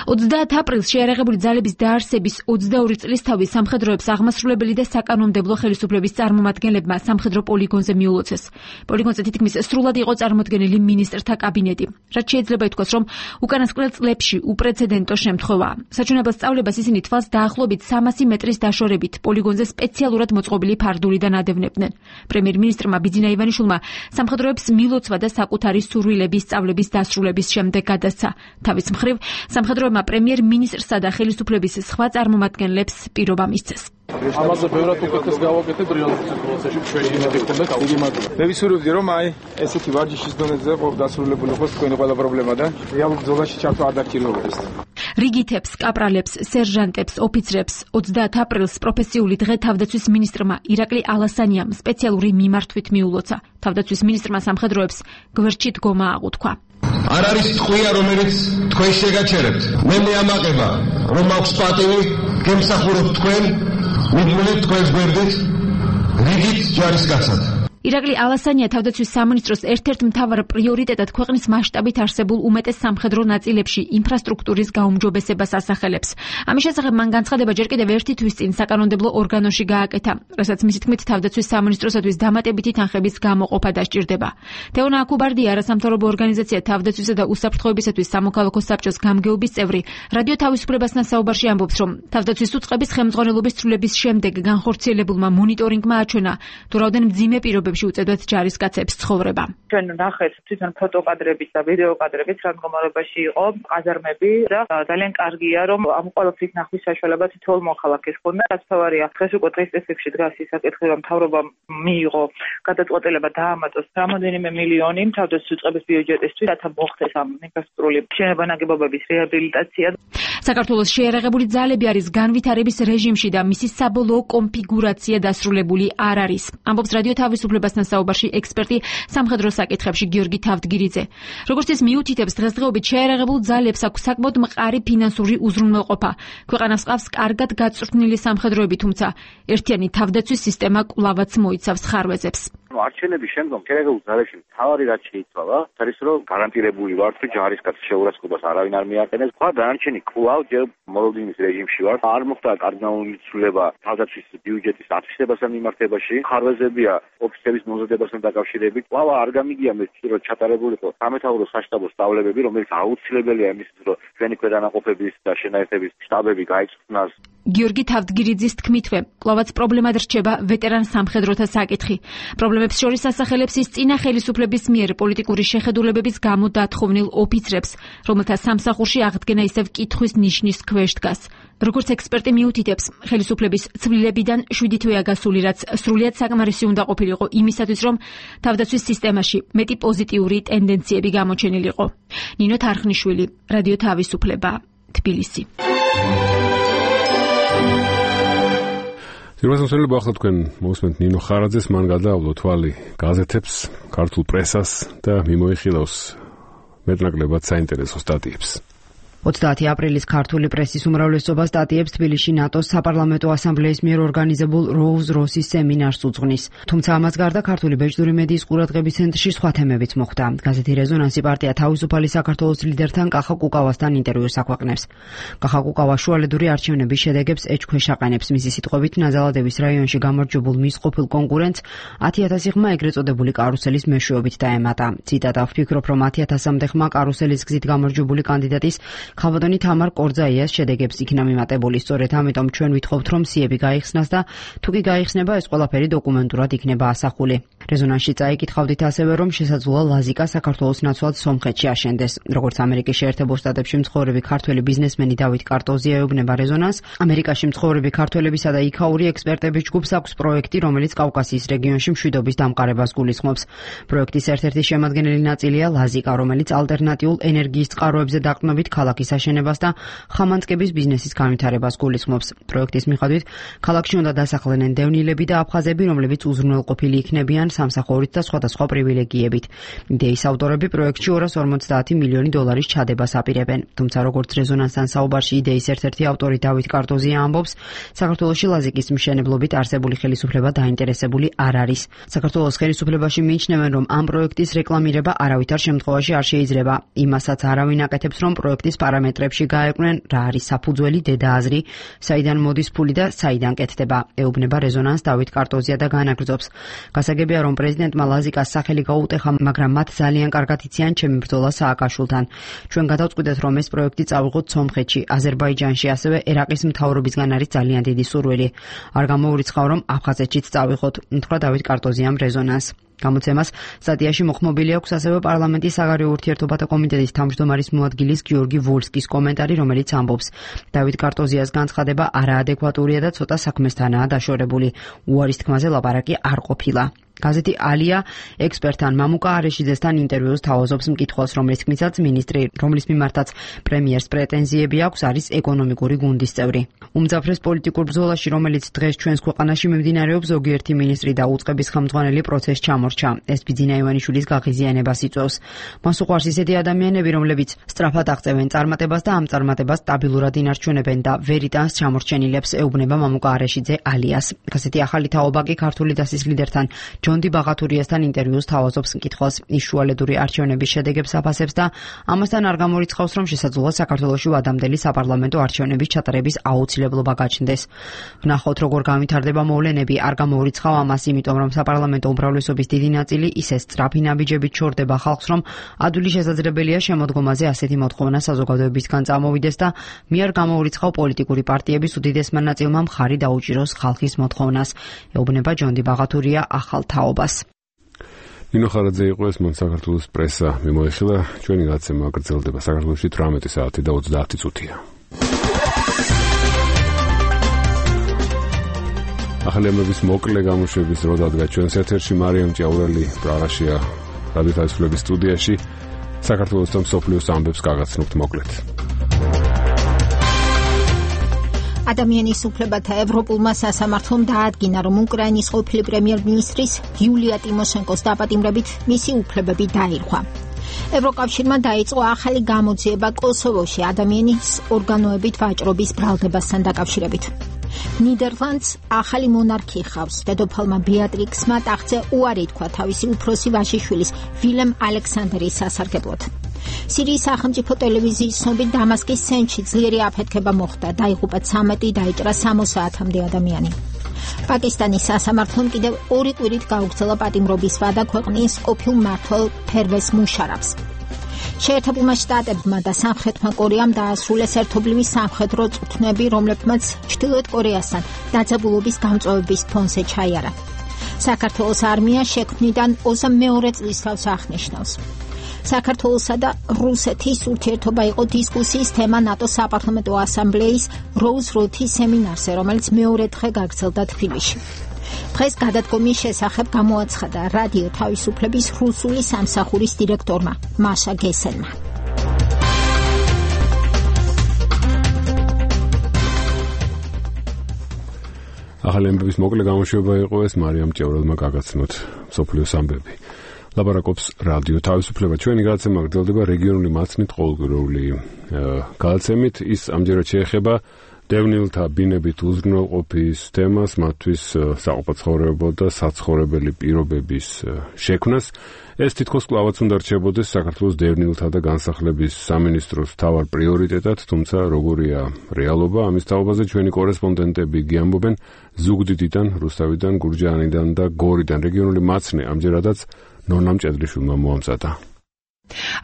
ოცდაათ აპრილს შეიარაღებული ძალების დაარსების ოცდაორი წლისთავი სამხედროებს აღმასრულებელი და საკანონმდებლო ხელისუფლების წარმომადგენლებმა სამხედრო პოლიგონზე მიულოცეს. პოლიგონზე თითქმის სრულად იყო წარმოდგენილი მინისტრთა კაბინეტი. რაც შეიძლება ითქვას, რომ უკანასკნელ წლებში უპრეცედენტო შემთხვევაა. საჩვენებელ სწავლებას ისინი თვალს დაახლოებით სამასი მეტრის დაშორებით პოლიგონზე სპეციალურად მოწყობილი ფარდულიდან ადევნებდნენ. პრემიერ-მინისტრმა ბიძინა ივანიშვილმა სამხედროებს მილოცვა და საკუთარი სურვილების სწავლების დასრულების შემდეგ გადასცა. თავის მხრივ სამხედროებმა პრემიერ-მინისტრსა და ხელისუფლების სხვა წარმომადგენლებს პირობა მისცეს. ამაზე ბევრად უკეთეს გავაკეთეთ რეალურ სიტუაციაში შეგვიძლია გქონდეთ დიდი მადლობა. მე ვისურვებდი რომ აი ესეთი ვარჯიშის დონეზე დასრულებული იყოს თქვენი ყველა პრობლემა და რეალურ ბრძოლაში ჩართვა არ დაგჭირდებოდეს. რიგითებს, კაპრალებს, სერჟანტებს, ოფიცრებს ოცდაათ აპრილს პროფესიული დღე თავდაცვის მინისტრმა ირაკლი ალასანიამ სპეციალური მიმართვით მიულოცა. თავდაცვის მინისტრმა სამხედროებს გვერდში დგომა აღუთქვა. არ არის ტყვია, რომელიც თქვენ შეგაჩერებთ. მე მეამაყება, რომ აქვს პატივი, გემსახურებთ თქვენ, მიდმულეთ თქვენს გვერდით, რიგით ჯარისკაცად. ირაკლი ალასანია თავდაცვის სამინისტროს ერთ-ერთ მთავარ პრიორიტეტად ქვეყნის მასშტაბით არსებულ უმეტეს სამხედრო ნაწილებში ინფრასტრუქტურის გაუმჯობესებას ასახელებს. ამის შესახებ მან განცხადება ჯერ კიდევ ერთი თვის წინ საკანონმდებლო ორგანოში გააკეთა, რასაც მისი თქმით თავდაცვის სამინისტროსათვის დამატებითი თანხების გამოყოფა დასჭირდება. თეონა აკუბარდია, არასამთავრობო ორგანიზაცია თავდაცვისა და უსაფრთხოებისათვის სამოქალაქო საბჭოს გამგეობის წევრი, რადიო თავისუფლებასთან საუბარში ამბობს, რომ თავდაცვის უწყების ხელმძღვანელობის ცვლილების შემდეგ განხორციელებულმა მონიტორინგმა აჩვენა, თუ რაოდენ მძიმე პირობებში უწევდათ ჯარისკაცებს ცხოვრება. ჩვენ ნახეთ თვითონ ფოტოკადრებით და ვიდეო კადრებით რა მდგომარეობაში იყო ყაზარმები და ძალიან კარგია, რომ ამ ყველაფრის ნახვის საშუალება თითოეულ მოხალხეს ჰქონდა. რაც თავარია, დღეს უკვე დღის წესებში დგას ის საკითხი, რომ მთავრობამ მიიღო გადაწყვეტილება დაამატოს რამოდენიმე მილიონი თავდაცვის უწყების ბიუჯეტისთვის, რათა მოხდეს ამ ინფრასტრუქტურული შენობა-ნაგებობების რეაბილიტაცია. საქართველოს შეიარაღებული ძალები არის განვითარების რეჟიმში და მისი საბოლოო კონფიგურაცია დასრულებული არ არის. ამბობს რადიო თავისუფლებასთან საუბარში ექსპერტი სამხედრო საკითხებში გიორგი თავდგირიძე. როგორც ის მიუთითებს, დღესდღეობით შეიარაღებულ ძალებს აქვს საკმაოდ მყარი ფინანსური უზრუნველყოფა. ქვეყანას ყავს კარგად გაწვრთნილი სამხედროები, თუმცა ერთიანი თავდაცვის სისტემა კვლავაც მოიცავს ხარვეზებს. არჩევნების შემდგომ შეიარაღებულ ძალებში მთავარი რაც შეიცვალა, არის რომ გარანტირებული ვართ, რომ ჯარისკაცის შეურაცხყოფას არავინ არ მიაყენებს. სხვა დანარჩენი კვლავ ჯერ მოლოდინის რეჟიმში ვართ. არ მოხდა კარდინალური ცვლილება თავდაცვის ბიუჯეტის ათვისებასთან მიმართებაში. ხარვეზებია ოფიცრების მომზადებასთან დაკავშირებით. კვლავ არ გამიგია მე რომ ჩატარებულიყო სამეთაურო საშტაბო სწავლებები, რომელიც აუცილებელია იმისთვის, რომ ჩვენი ქვედანაყოფების და შენაერთების შტაბები გაიწვნას. გიორგი თავდგირიძის თქმითვე, კვლავაც პრობლემად რჩება ვეტერან სამხედროთა საკითხი. პრობლემებს შორის ასახელებს ის წინა ხელისუფლების მიერ პოლიტიკური შეხედულებების გამო დათხოვნილ ოფიცრებს, რომელთა სამსახურში აღდგენა ისევ კითხვის ნიშნის ქვეშ დგას. როგორც ექსპერტი მიუთითებს, ხელისუფლების ცვლილებიდან შვიდი თვეა გასული, რაც სრულიად საკმარისი უნდა ყოფილიყო იმისათვის, რომ თავდაცვის სისტემაში მეტი პოზიტიური ტენდენციები გამოჩენილიყო. ნინო თარხნიშვილი, რადიო თავისუფლება, თბილისი. ძირფასმოსავლები ახლა თქვენ მოусმენთ ნინო ხარაძეს, მან გადაავლო თვალი გაზეთებს, ქართულ პრესას და მიმოიხილავს მეტნაკლებად საინტერესო სტატიებს. ოცდაათი აპრილის ქართული პრესის უმრავლესობა სტატიებს თბილისში ნატოს საპარლამენტო ასამბლეის მიერ ორგანიზებულ როუზ-როსის სემინარს უძღვნის. თუმცა ამას გარდა ქართული ბეჭდური მედიის ყურადღების ცენტრში სხვა თემებიც მოხვდა. გაზეთი რეზონანსი პარტია თავისუფალი საქართველოს ლიდერთან კახა კუკავასთან ინტერვიუს აქვეყნებს. კახა კუკავა შუალედური არჩევნების შედეგებს ეჭქვეშ აყენებს. მისი სიტყვებით, ნაზალადების რაიონში გამარჯვებულ მის ყოფილ კონკურენტს ათი ათასი ხმა ეგრეთ წოდებული კარუსელის მეშვეობით დაემატა. ციტატა: ვფიქრობ, რომ ათი ათასამდე ხმა კარუსელის გზით გამარჯვებული კანდიდატის ხავადონი თამარ კორძაიას შედეგებს იქნა მიმატებული. სწორედ ამიტომ ჩვენ ვითხოვთ, რომ სიები გაიხსნას და თუ კი გაიხსნება, ეს ყველაფერი დოკუმენტურად იქნება ასახული. რეზონანსში წაიკითხავდით ასევე, რომ შესაძლოა ლაზიკა საქართველოს ნაცვლად სომხეთში აშენდეს. როგორც ამერიკის შეერთებულ შტატებში მცხოვრები ქართველი ბიზნესმენი დავით კარტოზია ეუბნება რეზონანსს, ამერიკაში მცხოვრები ქართველებისა და იქაური ექსპერტების ჯგუფს აქვს პროექტი, რომელიც კავკასიის რეგიონში მშვიდობის დამყარებას გულისხმობს. პროექტის ერთ-ერთი შემადგენელი ნაწილია ლაზიკა, რომელიც ალტერნატიულ ენერგიის წყაროებზე დაყრდნობით ქალაქის აშენებას და ხამანწკების ბიზნესის განვითარებას გულისხმობს. პროექტის მიხედვით, ქალაქში უნდა დასახლებდნენ დევნილები და აფხაზები, რომლებიც უზრუნველყოფილი იქნებიან სამსახურით და სხვადასხვა პრივილეგიებით. იდეის ავტორები პროექტში ორას ორმოცდაათი მილიონი დოლარის ჩადებას აპირებენ. თუმცა, როგორც რეზონანსთან საუბარში იდეის ერთ-ერთი ავტორი დავით კარტოზია ამბობს, საქართველოში ლაზიკის მშენებლობით არსებული ხელისუფლება დაინტერესებული არ არის. საქართველოს ხელისუფლებაში მიიჩნევენ, რომ ამ პროექტის რეკლამირება არავითარ შემთხვევაში არ შეიძლება. იმასაც არავინ აკეთებს, რომ პროექტის პარამეტრებში გაეყვნენ რა არის საფუძველი, დედააზრი, საიდან მოდის ფული და საიდან კეთდება. ეუბნება რეზონანს დავით კარტოზია და განაგრძობს. გასაგებია, რომ პრეზიდენტმა ლაზიკას სახელი გაუტეხა, მაგრამ მათ ძალიან კარგად იციან ჩემი ბრძოლა სააკაშვილთან. ჩვენ გადავწყვიტეთ, რომ ეს პროექტი წავიღოთ სომხეთში, აზერბაიჯანში, ასევე ერაყის მთავრობისგან არის ძალიან დიდი სურვილი. არ გამოურიცხავ, რომ აფხაზეთშიც წავიღოთ, უთხრა დავით კარტოზიამ რეზონანს. გამოცემას სტატიაში მოხმობილი აქვს ასევე პარლამენტის საგარეო ურთიერთობათა კომიტეტის თავმჯდომარის მოადგილის გიორგი ვოლსკის კომენტარი, რომელიც ამბობს: დავით კარტოზიას განცხადება არაადეკვატურია და ცოტა საქმესთანაა დაშორებული. უარის თქმაზე ლაპარაკი არ ყოფილა. გაზეთი ალია ექსპერტთან მამუკა არეშიძესთან ინტერვიუს თავაზობს მკითხველს, რომლის თქმითაც მინისტრი, რომლის მიმართაც პრემიერს პრეტენზიები აქვს, არის ეკონომიკური გუნდის წევრი. უმძაფრეს პოლიტიკურ ბრძოლაში, რომელიც დღეს ჩვენს ქვეყანაში მიმდინარეობს, ზოგიერთი მინისტრი და უწყების ხელმძღვანელი პროცესს ჩამორჩა. ეს ბიძინა ივანიშვილის გაღიზიანებას იწვევს. მას უყვარს ისეთი ადამიანები, რომლებიც სწრაფად აღწევენ წარმატებას და ამ წარმატებას სტაბილურად ინარჩუნებენ და ვერ იტანს ჩამორჩენილებს, ეუბნება მამუკა არეშიძე ალიას. გაზეთი ახალი თაობა კი ქართული დასის ლიდერთან ჯონდი ბაღათურიასთან ინტერვიუს თავაზობს მკითხველს, ის შუალედური არჩევნების შედეგებს აფასებს და ამასთან არ გამორიცხავს, რომ შესაძლოა საქართველოში ვადამდელი საპარლამენტო არჩევნების ჩატარების აუცილებლობა გაჩნდეს. ვნახოთ, როგორ განვითარდება მოვლენები, არ გამორიცხავ ამას, იმიტომ რომ საპარლამენტო უმრავლესობის დიდი ნაწილი ისე სწრაფი ნაბიჯებით ჩორდება ხალხს, რომ ადვილი შესაძლებელია შემოდგომაზე ასეთი მოთხოვნა საზოგადოებისგან წამოვიდეს და მე არ გამორიცხავ პოლიტიკური პარტიების უდიდესმა ნაწილმა მხარი დაუჭიროს ხალხის მოთხოვნას, ეუბნება ჯონდი ბაღათურია ახალ თაობას. ნინო ხარაძე იყო ეს, მან საქართველოს პრესა მიმოიხილა. ჩვენი გაცემა გრძელდება საქართველოში თვრამეტი საათი და ოცდაათი წუთია. ახალი ამბების მოკლე გამოშვების დრო დადგა ჩვენს ეთერში მარიამ ჭიაურელი პრაღაშია რადიო თავისუფლების სტუდიაში. საქართველოს და მსოფლიოს ამბებს გაგაცნობთ მოკლედ. ადამიანის უფლებათა ევროპულმა სასამართლომ დაადგინა, რომ უკრაინის ყოფილი პრემიერ-მინისტრის იულია ტიმოშენკოს დაპატიმრებით მისი უფლებები დაირღვა. ევროკავშირმა დაიწყო ახალი გამოძიება კოსოვოში ადამიანის ორგანოებით ვაჭრობის ბრალდებასთან დაკავშირებით. ნიდერლანდს ახალი მონარქი ხავს. დედოფალმა ბეატრიქსმა ტახტზე უარი თქვა თავისი უფროსი ვაჟიშვილის ვილემ ალექსანდრის სასარგებლოდ. სირიის სახელმწიფო ტელევიზიის ცნობით დამასკის ცენტრში ძლიერი აფეთქება მოხდა, დაიღუპა ცამეტი, დაიჭრა სამოცდაათამდე ადამიანი. პაკისტანის სასამართლომ კიდევ ორი კვირით გაუგრძელა პატიმრობის ვადა ქვეყნის ყოფილ მმართველ ფერვეს მუშარაფს. შეერთებულმა შტატებმა და სამხრეთმა კორეამ დაასრულეს ერთობლივი სამხედრო წვრთნები, რომლებმაც ჩრდილოეთ კორეასთან დაძაბულობის გამწვევების ფონზე ჩაიარა. საქართველოს არმია შექმნიდან ოცდამეორე წლისთავს აღნიშნავს. საქართველოსა და რუსეთის ურთიერთობა იყო დისკუსიის თემა ნატოს საპარლამენტო ასამბლეის როუზ-როთის სემინარზე, რომელიც მეორე დღე გაგრძელდა თბილისში. დღეს გადადგომის შესახებ გამოაცხადა რადიო თავისუფლების რუსული სამსახურის დირექტორმა მაშა გესენმა. ახალი ამბების მოკლე გამოშვება იყო ეს, მარიამ ჭიაურელმა გაგაცნოთ მსოფლიოს ამბები. ლაპარაკობს რადიო თავისუფლება. ჩვენი გადაცემა გრძელდება რეგიონული მაცნით ყოველკვირეული გადაცემით. ის ამჯერად შეეხება დევნილთა ბინებით უზრუნველყოფის თემას, მათთვის საყოფაცხოვრებო და საცხოვრებელი პირობების შექმნას. ეს თითქოს კვლავაც უნდა რჩებოდეს საქართველოს დევნილთა და განსახლების სამინისტროს მთავარ პრიორიტეტად, თუმცა როგორია რეალობა, ამის თაობაზე ჩვენი კორესპონდენტები გიამბობენ ზუგდიდიდან, რუსთავიდან, გურჯაანიდან და გორიდან. რეგიონული მაცნე ამჯერადაც ნონა მჭედრიშვილმა მოამზადა.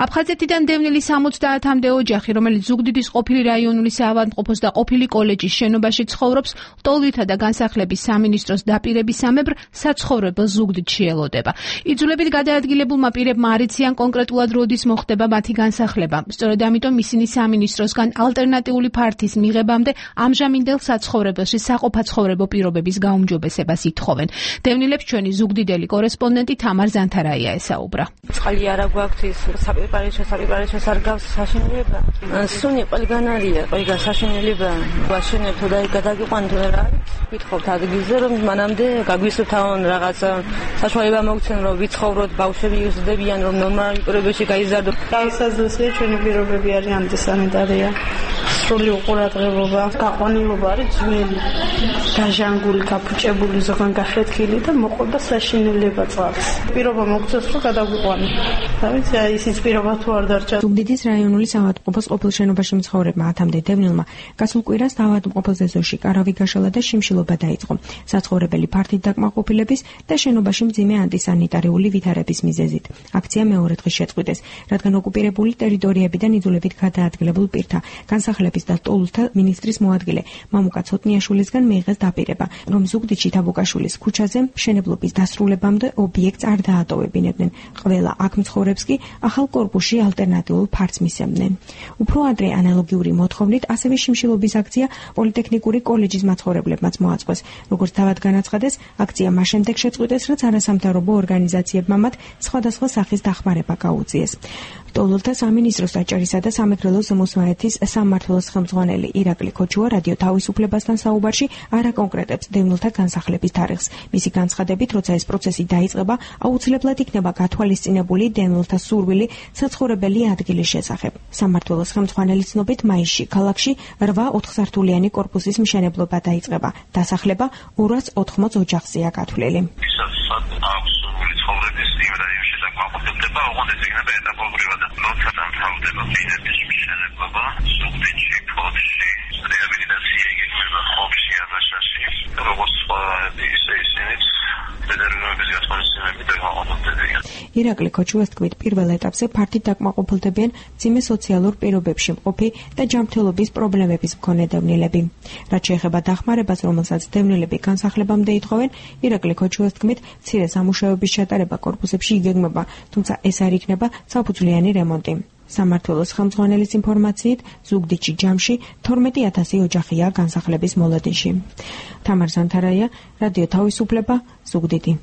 აფხაზეთიდან დევნილი სამოცდაათამდე ოჯახი, რომელიც ზუგდიდის ყოფილი რაიონული საავადმყოფოს და ყოფილი კოლეჯის შენობაში ცხოვრობს, ლტოლვილთა და განსახლების სამინისტროს დაპირებისამებრ საცხოვრებელ ზუგდიდში ელოდება. იძულებით გადაადგილებულმა პირებმა არ იციან კონკრეტულად როდის მოხდება მათი განსახლება. სწორედ ამიტომ ისინი სამინისტროსგან ალტერნატიული ფართის მიღებამდე ამჟამინდელ საცხოვრებელში საყოფაცხოვრებო პირობების გაუმჯობესებას ითხოვენ. დევნილებს ჩვენი ზუგდიდელი კორესპონდენტი თამარ ზანთარაია ესაუბრა. წყალი არა გვაქვს საპირპარეშო საპირპარეშო არ გავს საშინელება. სუნი ყველგან არის, ყველგან საშინელება. ვაშენებთ და გადაგიყვანთ რა არის? გითხოვთ ადგილზე რომ მანამდე გაგვისთავონ რაღაც საშუალება მოგცენ რომ ვიცხოვროთ, ბავშვები იზრდებიან, რომ ნორმალურ პირობებში გაიზარდოთ. გაიზარდოსია ჩვენი პირობები არიან ანტისანიტარია. სრული უყურადღებობა, გაყვანილობა არის ძველი, დაჟანგული, გაფუჭებული, ზოგან გახეთქილი და მოყვება საშინელება წყალს. პირობა მოგცეს რომ გადაგვიყვანო. რა ვიცი, ისიც პირობა თუ არ დარჩა. ზუგდიდის რაიონული საავადმყოფოს ყოფილ შენობაში მცხოვრებმა ათამდე დევნილმა გასულ კვირას საავადმყოფოს ეზოში კარავი გაშალა და შიმშილობა დაიწყო. საცხოვრებელი ფართით დაკმაყოფილების და შენობაში მძიმე ანტისანიტარიული ვითარების მიზეზით. აქცია მეორე დღეს შეწყვიტეს, რადგან ოკუპირებული ტერიტორიებიდან იძულებით გადაადგილებულ პირთა განსახლება განსახლების და ტოლულთა მინისტრის მოადგილე მამუკა ცოტნიაშვილისგან მიიღეს დაპირება, რომ ზუგდიდში თაბუკაშვილის ქუჩაზე მშენებლობის დასრულებამდე ობიექტს არ დაატოვებინებდნენ. ყველა აქ მცხოვრებს კი ახალ კორპუსში ალტერნატიულ ფართს მისცემდნენ. უფრო ადრე ანალოგიური მოთხოვნით ასევე შიმშილობის აქცია პოლიტექნიკური კოლეჯის მაცხოვრებლებმაც მოაწყვეს. როგორც თავად განაცხადეს, აქცია მას შემდეგ შეწყვიტეს, რაც არასამთავრობო ორგანიზაციებმა მათ სხვადასხვა სახის დახმარება გაუწიეს. ტოლულთა სამინისტროს დაჭერისა და სამეგრელოს მოსვანეთის სამმართველოს ხელმძღვანელი ირაკლი ქოჩუა რადიო თავისუფლებასთან საუბარში არ აკონკრეტებს დევნილთა განსახლების თარიღს. მისი განცხადებით, როცა ეს პროცესი დაიწყება, აუცილებლად იქნება გათვალისწინებული დევნილთა სურვილი საცხოვრებელი ადგილის შესახებ. სამმართველოს ხელმძღვანელის ცნობით, მაისში ქალაქში რვა ოთხსართულიანი კორპუსის მშენებლობა დაიწყება. დასახლება ორას ოთხმოც ოჯახზეა გათვლილი. ოღონდ ეს იქნება ეტაპობრივად. როცა დამთავრდება ბინების მშენებლობა, ზუგდიდში, ფოთში, რეაბილიტაცია იგეგმება ხობში, აბაშაში, როგორც სხვა ისე ისინიც დეტერმინირების გათვალისწინებით დაგმაყოფილდებიან. ირაკლი ქოჩუას თქმით, პირველ ეტაპზე ფართით დაკმაყოფილდებიან მძიმე სოციალურ პირობებში მყოფი და ჯანმრთელობის პრობლემების მქონე დევნილები. რაც შეეხება დახმარებას, რომელსაც დევნილები განსახლებამდე ითხოვენ, ირაკლი ქოჩუას თქმით, მცირე სამუშაოების ჩატარება კორპუსებში იგეგმება, თუმცა ეს არ იქნება საფუძვლიანი რემონტი. სამმართველოს ხელმძღვანელის ინფორმაციით, ზუგდიდში ჯამში თორმეტი ათასი ოჯახია განსახლების მოლოდინში. თამარ ზანთარაია, რადიო თავისუფლება, ზუგდიდი.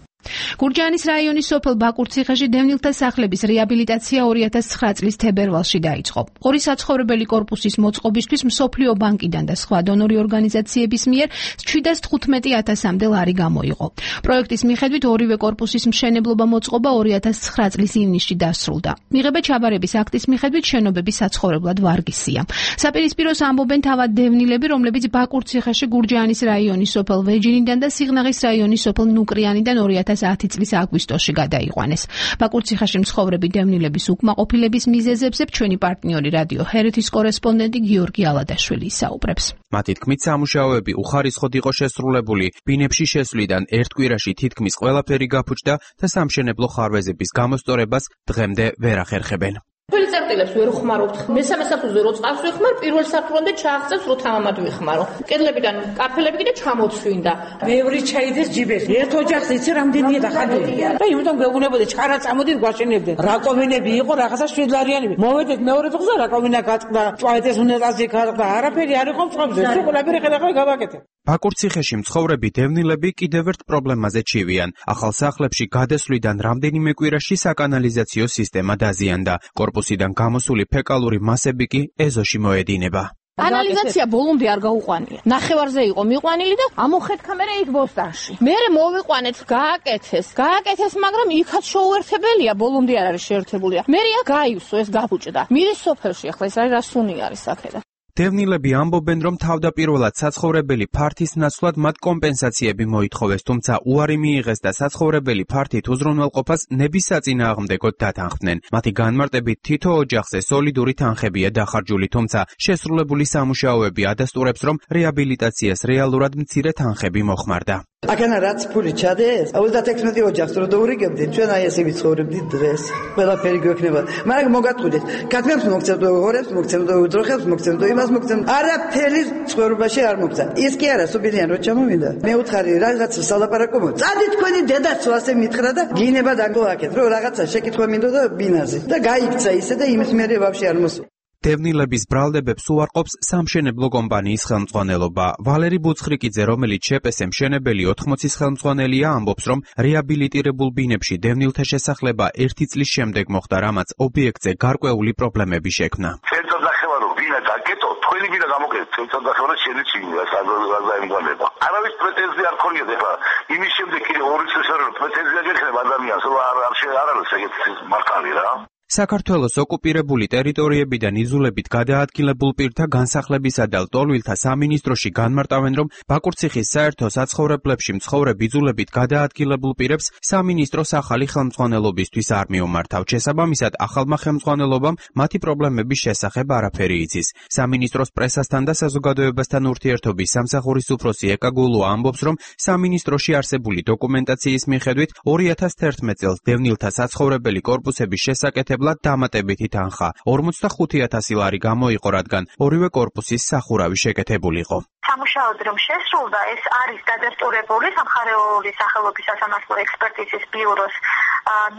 გურჯაანის რაიონის სოფელ ბაკურციხეში დევნილთა სახლების რეაბილიტაცია ორი ათას ცხრა წლის თებერვალში დაიწყო. ორი საცხოვრებელი კორპუსის მოწყობისთვის მსოფლიო ბანკიდან და სხვა დონორი ორგანიზაციების მიერ შვიდას თხუთმეტი ათასამდე ლარი გამოიყო. პროექტის მიხედვით ორივე კორპუსის მშენებლობა მოწყობა ორი ათას ცხრა წლის ივნისში დასრულდა. მიღება ჩაბარების აქტის მიხედვით შენობები საცხოვრებლად ვარგისია. საპირისპიროს ამბობენ თავად დევნილები, რომლებიც ბაკურციხეში გურჯაანის რაიონის სოფელ ვეჯინიდან და სიღნაღის რაიონის სოფელ ნუკრიანიდან ორი ათას ათი წლის აგვისტოში გადაიყვანეს. ბაკურციხეში მცხოვრები დევნილების უკმაყოფილების მიზეზებზე ჩვენი პარტნიორი რადიო ჰერეთის კორესპონდენტი გიორგი ალადაშვილი ისაუბრებს. მათი თქმით, სამუშაოები უხარისხოდ იყო შესრულებული. ბინებში შესვლიდან ერთ კვირაში თითქმის ყველაფერი გაფუჭდა და სამშენებლო ხარვეზების გამოსწორებას დღემდე ვერ ახერხებენ. Păi წერტილებს ვერ ხმარობთ. მესამე საფუძვზე რო წყავს ვიხმარ, პირველ საფუძვამდე ჩააღწევს რო თამამად ვიხმარო. კედლებიდან კაფელები კიდე ჩამოცვინდა. ბევრი ჩაიდეს ჯიბეს. ერთ ოჯახს იცი რამდენია დახადული. და იმიტომ გეუბნებოდი ჩარა წამოდით გვაშენებდნენ. რაკომინები იყო რაღაცა შვიდლარიანები. მოვედეთ მეორე დღეზე რაკომინა გაწყდა, ჭვაიტეს უნეტაზი გაწყდა. არაფერი არ იყო მწყობზე. სულ ყველაფერი ხედავ გავაკეთე. ბაკურციხეში მცხოვრები დევნილები კიდევ ერთ პრობლემაზე ჩივიან. ახალ სახლებში გადასვლიდან რამდენიმე კვირაში საკანალიზაციო სისტემა დაზიანდა. კორპუსიდან გამოსული ფეკალური მასები კი ეზოში მოედინება. კანალიზაცია ბოლომდე არ გაუყვანია. ნახევარზე იყო მიყვანილი და ამოხეთქამერე იქ ბოსტანში. მერე მოვიყვანეთ, გააკეთეს. გააკეთეს, მაგრამ იქაც შეუერთებელია, ბოლომდე არ არის შეერთებული. მერია გაივსო, ეს გაფუჭდა. მირის სოფელში ახლა ეს არის რასუნი არის აქედა. დევნილები ამბობენ, რომ თავდაპირველად საცხოვრებელი ფართის ნაცვლად მათ კომპენსაციები მოითხოვეს, თუმცა უარი მიიღეს და საცხოვრებელი ფართით უზრუნველყოფას ნების საწინააღმდეგოდ დათანხმდნენ. მათი განმარტებით თითო ოჯახზე სოლიდური თანხებია დახარჯული, თუმცა შესრულებული სამუშაოები ადასტურებს, რომ რეაბილიტაციას რეალურად მცირე თანხები მოხმარდა. აქანა რაც ფული ჩადეს, ოცდაექვსმეტი ოჯახს რო დაურიგებდით, ჩვენ აი ესე ვიცხოვრებდით დღეს. ყველაფერი გვექნება. მაგრამ მოგატყუდეთ, კათმებს მოგცემთ ორებს, მოგცემთ უძროხებს, მოგცემთ იმას, მოგცემთ. არაფერი ცხოვრებაში არ მოგცა. ის კი არა, სუბილიან რო ჩამოვიდა. მე უთხარი რაღაც სალაპარაკო მო. წადი თქვენი დედაც ასე მითხრა და გინება დაგოაკეთ, რომ რაღაცა შეკითხვა მინდოდა ბინაზე. და გაიქცა ისე და იმის მერე ვაფშე არ მოსულა. დევნილების ბრალდებებს უარყოფს სამშენებლო კომპანიის ხელმძღვანელობა. ვალერი ბუცხრიკიძე, რომელიც შეპესე მშენებელი ოთხმოცის ხელმძღვანელია, ამბობს, რომ რეაბილიტირებულ ბინებში დევნილთა შესახლება ერთი წლის შემდეგ მოხდა, რამაც ობიექტზე გარკვეული პრობლემები შექმნა. ხელსაძახევა რომ ბინა დაკეტო, თქვენი ბინა გამოკეთეთ, ხელსაძახევა შეიძლება საზოგადოება. არავის პრეტენზია არ ქონიათ ახლა. იმის შემდეგ კიდე ორი წელი რომ პრეტენზია გექნება ადამიანს, რომ არ არ არ არის ეგეთი მართალი რა. საქართველოს ოკუპირებული ტერიტორიებიდან იზოლებით გადაადგილებულ პირთა განსახლებისა და ლტოლვილთა სამინისტროში განმარტავენ, რომ ბაკურციხის საერთო საცხოვრებლებში მცხოვრებ იზოლებით გადაადგილებულ პირებს სამინისტროს ახალი ხელმძღვანელობისთვის არ მიომართავთ. შესაბამისად, ახალმა ხელმძღვანელობამ მათი პრობლემების შესახებ არაფერი იცის. სამინისტროს პრესასთან და საზოგადოებასთან ურთიერთობის სამსახურის უფროსი ეკა გულუა ამბობს, რომ სამინისტროში არსებული დოკუმენტაციის მიხედვით ორი ათას თერთმეტ წელს დევნილთა საცხოვრებელი კორპუსების შესაკეთება შესაძლებლად დამატებითი თანხა ორმოცდახუთი ათასი ლარი გამოიყო, რადგან ორივე კორპუსის სახურავი შეკეთებულიყო. სამუშაოდ რომ შესრულდა, ეს არის დადასტურებული სამხარეოური სახელობის სასამართლო ექსპერტიზის ბიუროს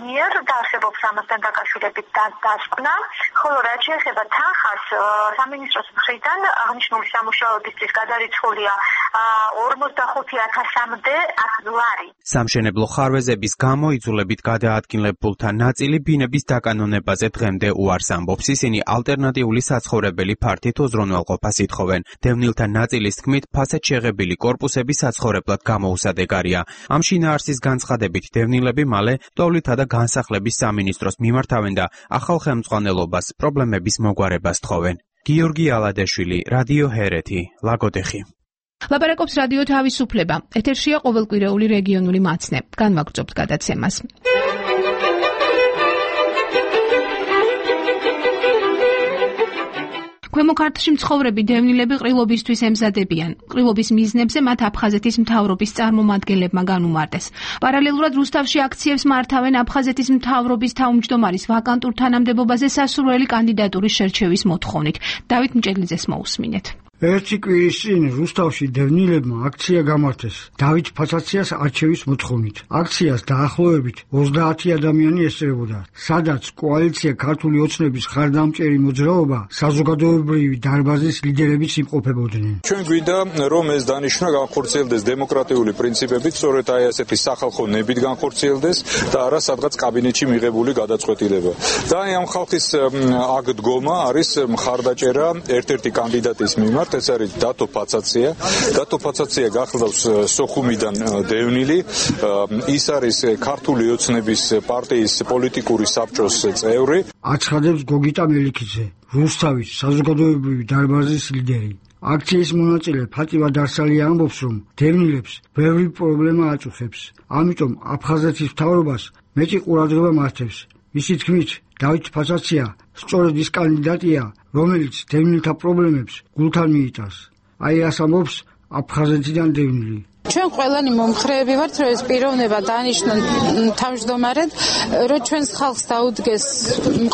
მიერ და არსებობს ამასთან დაკავშირებით დასკვნა, ხოლო რაც შეეხება თანხას, სამინისტროს მხრიდან აღნიშნული სამუშაოებისთვის გადარიცხულია ორმოცდახუთი ათასამდე ლარი. სამშენებლო ხარვეზების გამო იძულებით გადაადგილებულთა ნაწილი ბინების დაკანონებაზე დღემდე უარს ამბობს. ისინი ალტერნატიული საცხოვრებელი ფართით უზრუნველყოფას ითხოვენ. დევნილთა ნაწილის თქმით, ფასად შეღებილი კორპუსები საცხოვრებლად გამოუსადეგარია. ამ შინაარსის განცხადებით დევნილები მალე ტოლვითა და განსახლების სამინისტროს მიმართავენ და ახალ ხელმძღვანელობას პრობლემების მოგვარებას თხოვენ. გიორგი ალადეშვილი, რადიო ჰერეთი, ლაგოდეხი. ლაპარაკობს რადიო თავისუფლება. ეთერშია ყოველკვირეული რეგიონული მაცნე. განვაგრძობთ გადაცემას. ქვემო ქართლში მცხოვრები დევნილები ყრილობისთვის ემზადებიან. ყრილობის მიზნებზე მათ აფხაზეთის მთავრობის წარმომადგენლებმა განუმარტეს. პარალელურად რუსთავში აქციებს მართავენ აფხაზეთის მთავრობის თავმჯდომარის ვაკანტურ თანამდებობაზე სასურველი კანდიდატურის შერჩევის მოთხოვნით. დავით მჭედლიძეს მოусმინეთ. ერთი კვირის წინ რუსთავში დევნილებმა აქცია გამართეს დავით ფაცაციას არჩევის მოთხოვნით. აქციას დაახლოებით ოცდაათი ადამიანი ესწრებოდა, სადაც კოალიცია ქართული ოცნების ხარდამჭერი მოძრაობა საზოგადოებრივი დარბაზის ლიდერებიც იმყოფებოდნენ. ჩვენ გვინდა რომ ეს დანიშვნა განხორციელდეს დემოკრატიული პრინციპებით, სწორედ აი ასეთი სახალხო ნებით განხორციელდეს და არა სადღაც კაბინეტში მიღებული გადაწყვეტილება. და აი ამ ხალხის აქ დგომა არის მხარდაჭერა ერთ-ერთი კანდიდატის მიმართ, ეს არის დათო ფაცაცია. დათო ფაცაცია გახლავს სოხუმიდან დევნილი, ის არის ქართული ოცნების პარტიის პოლიტიკური საბჭოს წევრი. აცხადებს გოგიტა მელიქიძე, რუსთავის საზოგადოებრივი დარბაზის ლიდერი. აქციის მონაწილე ფატივა დარსალია ამბობს, რომ დევნილებს ბევრი პრობლემა აწუხებს. ამიტომ აფხაზეთის მთავრობას მეტი ყურადღება მართებს. მისი თქმით, დავით ფაცაცია სწორედ ის კანდიდატია, რომელიც დევნილთა პრობლემებს გულთან მიიტანს. აი რას ამბობს აფხაზეთიდან დევნილი. ჩვენ ყველანი მომხრეები ვართ, რომ ეს პიროვნება დანიშნონ თავმჯდომარედ, რომ ჩვენს ხალხს დაუდგეს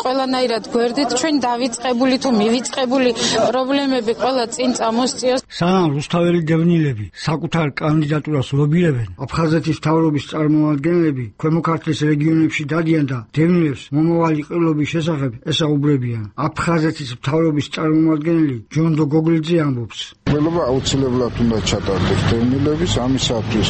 ყველანაირად გვერდით, ჩვენ დავიწყებული თუ მივიწყებული პრობლემები ყველა წინ წამოსწიოს. სანამ რუსთაველი დევნილები საკუთარ კანდიდატურას ლობირებენ, აფხაზეთის მთავრობის წარმომადგენლები ქვემო ქართლის რეგიონებში დადიან და დევნილებს მომავალი ყრილობის შესახებ ესაუბრებიან. აფხაზეთის მთავრობის წარმომადგენელი ჯონდო გოგლიძე ამბობს. ყველობა აუცილებლად უნდა ჩატარდეს დევნილების ამისათვის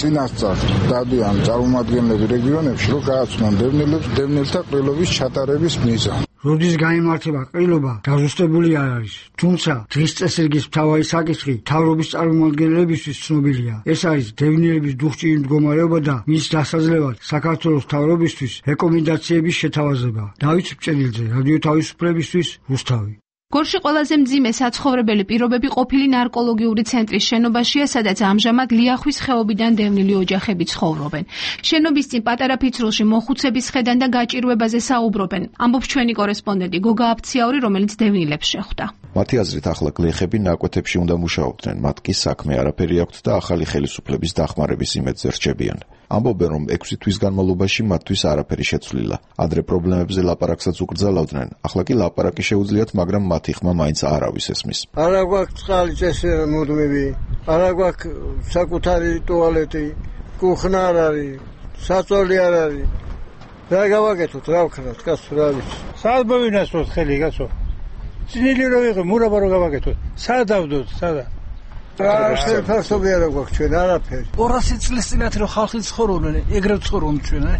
წინასწარ დადიან წარმომადგენლები რეგიონებში, რომ გააცნონ დევნილებს დევნილთა ყრილობის ჩატარების მიზანი. როდის გაიმართება ყრილობა, დაზუსტებული არ არის. თუმცა დღის წესრიგის მთავარი საკითხი მთავრობის წარმომადგენლებისთვის ცნობილია. ეს არის დევნილების დუხჭირი მდგომარეობა და მის დასაძლევად საქართველოს მთავრობისთვის რეკომენდაციების შეთავაზება. დავით მჭედლიძე, რადიო თავისუფლებისთვის, რუსთავი. გორში ყველაზე მძიმე საცხოვრებელი პირობები ყოფილი ნარკოლოგიური ცენტრის შენობაშია, სადაც ამჟამად ლიახვის ხეობიდან დევნილი ოჯახები ცხოვრობენ. შენობის წინ პატარა ფიცრულში მოხუცების ხედან და გაჭირვებაზე საუბრობენ. ამბობს ჩვენი კორესპონდენტი გოგა აფციაური, რომელიც დევნილებს შეხვდა. მათი აზრით ახლა გლეხები ნაკვეთებში უნდა მუშაობდნენ, მათ კი საქმე არაფერი აქვთ და ახალი ხელისუფლების დახმარების იმედზე რჩებიან. ამბობენ, რომ ექვსი თვის განმავლობაში მათთვის არაფერი შეცვლილა. ადრე პრობლემებზე ლაპარაკსაც უკრძალავდნენ, ახლა კი ლაპარაკი შეუძლიათ, მაგრამ მათი ხმა მაინც არავის ესმის. არა გვაქვს წყალი წესრიგ მუდმივი, არა გვაქვს საკუთარი ტუალეტი, კუხნა არ არის, საწოლი არ არის. რა გავაკეთოთ, რა ვქნათ, კაცო, რა ვიცი. სად მოვინასწროთ ხელი, კაცო? წინილი რო ვიღო, მურაბა რო გავაკეთოთ. სად დავდოთ, სადა? რა შეფასები არა გვაქვს ჩვენ, არაფერი. ორასი წლის წინათ რო ხალხი ცხოვრობდნენ, ეგრევე ცხოვრობდნენ ჩვენ, აი.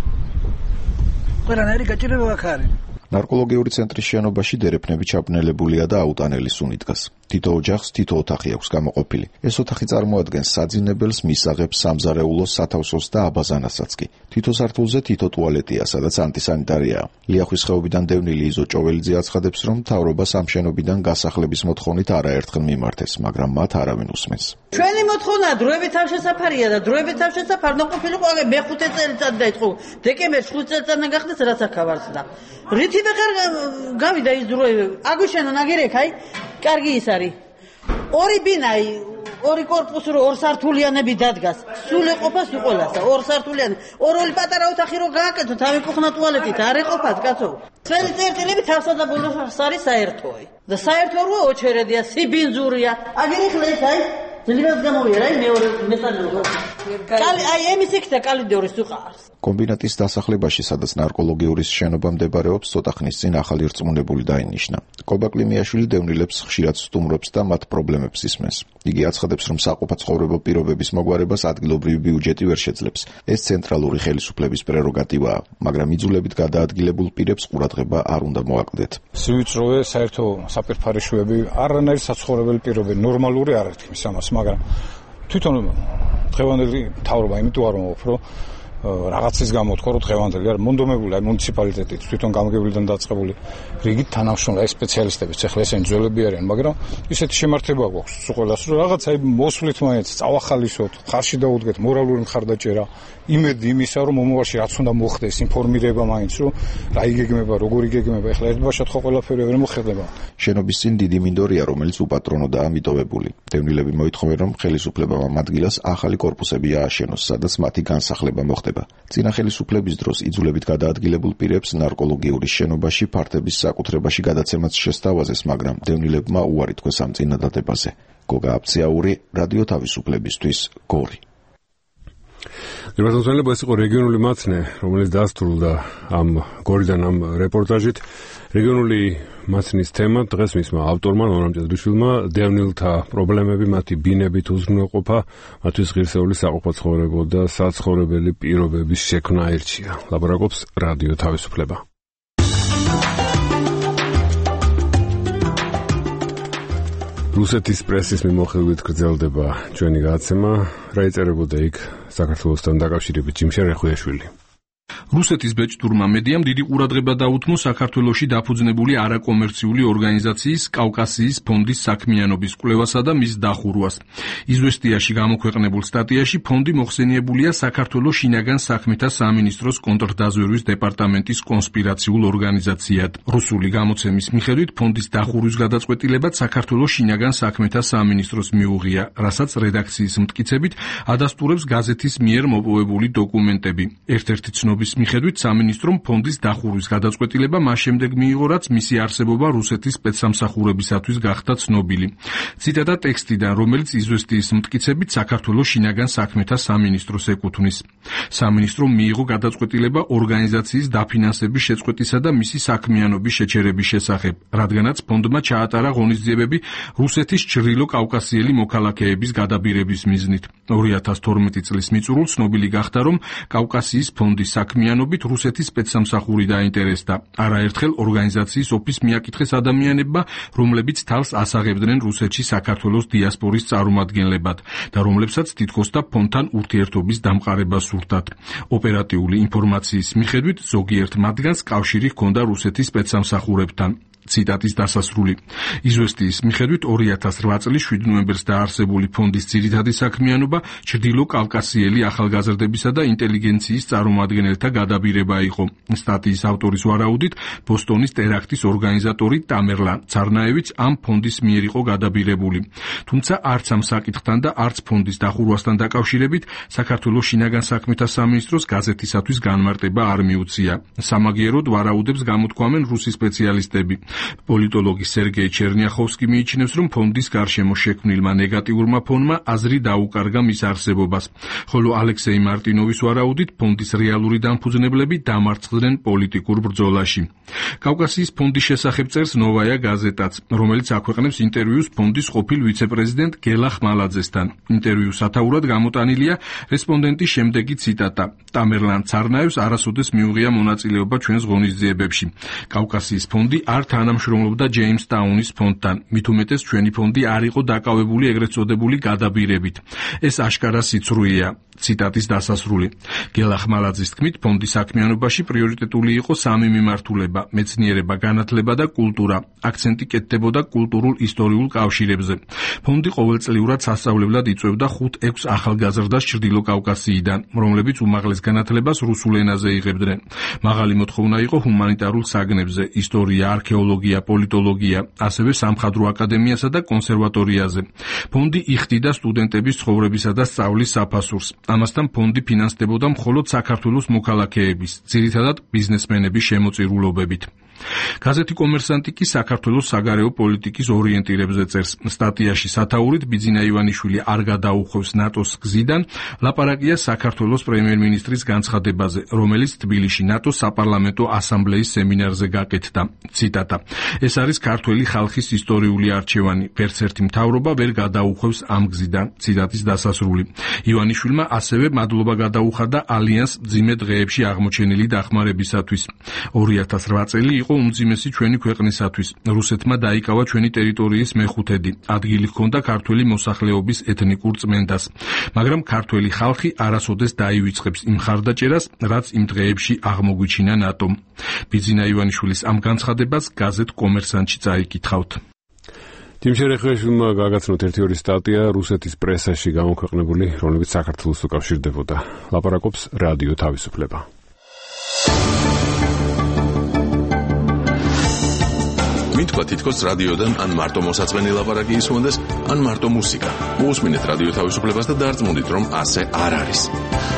ყველანაირი გაჭირება აქ არის. ნარკოლოგიური ცენტრის შენობაში დერეფნები ჩაბნელებულია და აუტანელი სუნი დგას. თითო ოჯახს თითო ოთახი აქვს გამოყოფილი. ეს ოთახი წარმოადგენს საძინებელს, მისაღებს, სამზარეულოს, სათავსოს და აბაზანასაც კი. თითო სართულზე თითო ტუალეტია, სადაც ანტისანიტარიაა. ლიახვის ხეობიდან დევნილი იზო ჭოველიძე აცხადებს, რომ მთავრობას ამ შენობიდან გასახლების მოთხოვნით არაერთხელ მიმართეს, მაგრამ მათ არავინ უსმენს. ჩვენი მოთხოვნა დროებით თავშესაფარია და დროებით თავშესაფარ ნაყოფილიყო აგე მეხუთე წელიწად დაიწყო. დეკემბერში ხუთ წელიწადნა გახდეს რაც აქავარცდა. რითი ბეხარ გავიდა ის დროები. აგვიშენო ნაგერეკ აი კარგი ის არის. ორი ბინაი, ორი კორპუსი რო ორ სართულიანები დადგას. სულ ეყოფა სულ ყველასა, ორ სართულიანი. ორ-ორი პატარა ოთახი რო გააკეთოთ, ავი კუხნა ტუალეტით არ ეყოფათ, კაცო. ჩვენი წერტილები თავსადაბულოს არის საერთოი და საერთო რო ოჩერედია, სიბინძურია. აგერ ეხლა ეს აი ძლიერ გამოვიდა აი მეორე მეტალურ. კალი აი ემის იქ და კალიდორის უყარს. კომბინატის დასახლებაში, სადაც ნარკოლოგიური შენობა მდებარეობს, ცოტა ხნის წინ ახალი რწმუნებული დაინიშნა. კობა კლიმიაშვილი დევნილებს ხშირად სტუმრობს და მათ პრობლემებს ისმენს. იგი აცხადებს, რომ საყოფა ცხოვრებო პირობების მოგვარებას ადგილობრივი ბიუჯეტი ვერ შეძლებს. ეს ცენტრალური ხელისუფლების პრეროგატივაა, მაგრამ იძულებით გადაადგილებულ პირებს ყურადღება არ უნდა მოაკლდეთ. სივიწროვე საერთო საპირფარეშოები არანაირი საცხოვრებელი პირობები ნორმალური არ არის მის ამას, მაგრამ თვითონ დღევანდელი მთავრობა იმიტომ არ მომაქვს, რომ რაღაცის გამო თქო რომ დღევანდელი არ მონდომებული აი მუნიციპალიტეტით თვითონ გამგებლიდან დაწყებული რიგით თანამშრომლები სპეციალისტები ეხლა ესენი ძველები არიან, მაგრამ ისეთი შემართება გვაქვს ყველას რომ რაღაც აი მოსვლით მაინც წავახალისოთ, ხარში დაუდგეთ მორალური მხარდაჭერა, იმედი იმისა რომ მომავალში რაც უნდა მოხდეს, ინფორმირება მაინც რომ რა იგეგმება, როგორ იგეგმება, ეხლა ერთბაშად ხო ყველაფერი ვერ მოხდება. შენობის წინ დიდი მინდორია, რომელიც უპატრონოდაა მიტოვებული. დევნილები მოითხოვენ, რომ ხელისუფლებამ ამ ადგილას ახალი კორპუსები ააშენოს, სადაც მათი განსახლება მოხდება. წინა ხელისუფლების დროს იძულებით გადაადგილებულ პირებს ნარკოლოგიური შენობაში ფართების საკუთრებაში გადაცემაც შესთავაზეს, მაგრამ დევნილებმა უარი თქვეს ამ წინადადებაზე. გოგა აფციაური, რადიო თავისუფლებისთვის, გორი. დეპარტამენტელი ეს იყო რეგიონული მაცნე, რომელიც დასრულდა ამ გორიდან ამ რეპორტაჟით. რეგიონული მაცნის თემა დღეს მისმა ავტორმა ნორამ ჭედრიშვილმა დევნილთა პრობლემები, მათი ბინებით უზრუნველყოფა, მათთვის ღირსეული საყოფა ცხოვრება და საცხოვრებელი პირობების შექმნა ერჩია. ლაბორატორს რადიო თავისუფლება. რუსეთის პრესის მიმოხილვით გრძელდება ჩვენი გადაცემა. რა იწერებოდა იქ საქართველოსთან დაკავშირებით ჯიმშენ რეხუიაშვილი. რუსეთის ბეჭდურმა მედიამ დიდი ყურადღება დაუთმო საქართველოში დაფუძნებული არაკომერციული ორგანიზაციის კავკასიის ფონდის საქმიანობის კვლევასა და მის დახურვას. იზვესტიაში გამოქვეყნებულ სტატიაში ფონდი მოხსენიებულია საქართველოს შინაგან საქმეთა სამინისტროს კონტრდაზვერვის დეპარტამენტის კონსპირაციულ ორგანიზაციად. რუსული გამოცემის მიხედვით ფონდის დახურვის გადაწყვეტილებად საქართველოს შინაგან საქმეთა სამინისტროს მიუღია, რასაც რედაქციის მტკიცებით ადასტურებს გაზეთის მიერ მოპოვებული დოკუმენტები. ერთ-ერთი ცნობის მიხედვით სამინისტრომ ფონდის დახურვის გადაწყვეტილება მას შემდეგ მიიღო, რაც მისი არსებობა რუსეთის სპეცსამსახურებისათვის გახდა ცნობილი. ციტატა ტექსტიდან, რომელიც იზვესტიის მტკიცებით საქართველოს შინაგან საქმეთა სამინისტროს ეკუთვნის. სამინისტრომ მიიღო გადაწყვეტილება ორგანიზაციის დაფინანსების შეწყვეტისა და მისი საქმიანობის შეჩერების შესახებ, რადგანაც ფონდმა ჩაატარა ღონისძიებები რუსეთის ჩრდილო კავკასიელი მოქალაქეების გადაბირების მიზნით. ორი ათას თორმეტი წლის მიწურულს ცნობილი გახდა, რომ კავკასიის ფონდის საქმიანობით რუსეთის სპეცსამსახური დაინტერესდა. არაერთხელ ორგანიზაციის ოფისს მიაკითხეს ადამიანებმა, რომლებიც თავს ასაღებდნენ რუსეთში საქართველოს დიასპორის წარმომადგენლებად და რომლებსაც თითქოს და ფონდთან ურთიერთობის დამყარება სურდათ. ოპერატიული ინფორმაციის მიხედვით ზოგიერთ მათგანს კავშირი ჰქონდა რუსეთის სპეცსამსახურებთან. ციტატის დასასრული. იზვესტიის მიხედვით ორი ათას რვა წლის შვიდ ნოემბერს დაარსებული ფონდის ძირითადი საქმიანობა ჩრდილო კავკასიელი ახალგაზრდებისა და ინტელიგენციის წარმომადგენელთა გადაბირება იყო. სტატიის ავტორის ვარაუდით, ბოსტონის ტერაქტის ორგანიზატორი ტამერლან ცარნაევიც ამ ფონდის მიერ იყო გადაბირებული. თუმცა არც ამ საკითხთან და არც ფონდის დახურვასთან დაკავშირებით საქართველოს შინაგან საქმეთა სამინისტროს გაზეთისათვის განმარტება არ მიუწია. სამაგიეროდ ვარაუდებს გამოთქვამენ რუსი სპეციალისტები. პოლიტოლოგი სერგეი ჩერნიახოვსკი მიიჩნევს, რომ ფონდის გარშემო შექმნილმა ნეგატიურმა ფონმა აზრი დაუკარგა მის არსებობას, ხოლო ალექსეი მარტინოვის ვარაუდით ფონდის რეალური დამფუძნებლები დამარცხდნენ პოლიტიკურ ბრძოლაში. კავკასიის ფონდის შესახებ წერს ნოვაია გაზეტაც, რომელიც აქვეყნებს ინტერვიუს ფონდის ყოფილ ვიცე-პრეზიდენტ გელა ხმალაძესთან. ინტერვიუს სათაურად გამოტანილია რესპონდენტის შემდეგი ციტატა: ტამერლან ცარნაევს არასოდეს მიუღია მონაწილეობა ჩვენს ღონისძიებებში. კავკასიის ფონდი არ თანამშრომლობდა ჯეიმსტაუნის ფონდთან. მით უმეტეს ჩვენი ფონდი არ იყო დაკავებული ეგრეთ წოდებული გადაბირებით. ეს აშკარა სიცრუეა. ციტატის დასასრული. გელა ხმალაძის თქმით, ფონდის საქმიანობაში პრიორიტეტული იყო სამი მიმართულება: მეცნიერება, განათლება და კულტურა. აქცენტი კეთდებოდა კულტურულ-ისტორიულ კავშირებზე. ფონდი ყოველწლიურად სასწავლებლად იწვევდა ხუთ-ექვს ახალგაზრდას ჩრდილო კავკასიიდან, რომლებიც უმაღლეს განათლებას რუსულ ენაზე იღებდნენ. მაღალი მოთხოვნა იყო ჰუმანიტარულ საგნებზე, ისტორია, არქეოლოგია ფიზიოლოგია, პოლიტოლოგია, ასევე სამხატვრო აკადემიასა და კონსერვატორიაზე. ფონდი იხდიდა სტუდენტების ცხოვრებისა და სწავლის საფასურს. ამასთან ფონდი ფინანსდებოდა მხოლოდ საქართველოს მოქალაქეების, ძირითადად ბიზნესმენების შემოწირულობებით. გაზეთი კომერსანტი კი საქართველოს საგარეო პოლიტიკის ორიენტირებზე წერს. სტატიაში სათაურით ბიძინა ივანიშვილი არ გადაუხვევს ნატოს გზიდან, ლაპარაკია საქართველოს პრემიერ-მინისტრის განცხადებაზე, რომელიც თბილისში ნატოს საპარლამენტო ასამბლეის სემინარზე გაკეთდა. ციტატა: ეს არის ქართველი ხალხის ისტორიული არჩევანი. ვერც ერთი მთავრობა ვერ გადაუხვევს ამ გზიდან. ციტატის დასასრული. ივანიშვილმა ასევე მადლობა გადაუხადა ალიანს მძიმე დღეებში აღმოჩენილი დახმარებისათვის. ორი ათას რვა წელი იყო უმძიმესი ჩვენი ქვეყნისათვის. რუსეთმა დაიკავა ჩვენი ტერიტორიის მეხუთედი. ადგილი ჰქონდა ქართველი მოსახლეობის ეთნიკურ წმენდას. მაგრამ ქართველი ხალხი არასოდეს დაივიწყებს იმ ხარდაჭერას, რაც იმ დღეებში აღმოგვიჩინა ნატომ. ბიძინა ივანიშვილის ამ განცხადებას გაზეთ კომერსანტში წაიკითხავთ. თიმ შერეხეშვილმა გაგაცნოთ ერთი ორი სტატია რუსეთის პრესაში გამოქვეყნებული, რომლებიც საქართველოს უკავშირდებოდა. ლაპარაკობს რადიო თავისუფლება. მითქვა თითქოს რადიოდან ან მარტო მოსაწვენი ლაპარაკი ისმონდეს, ან მარტო მუსიკა. მოусმინეთ რადიო თავისუფლებას და დარწმუნდით, რომ ასე არ არის.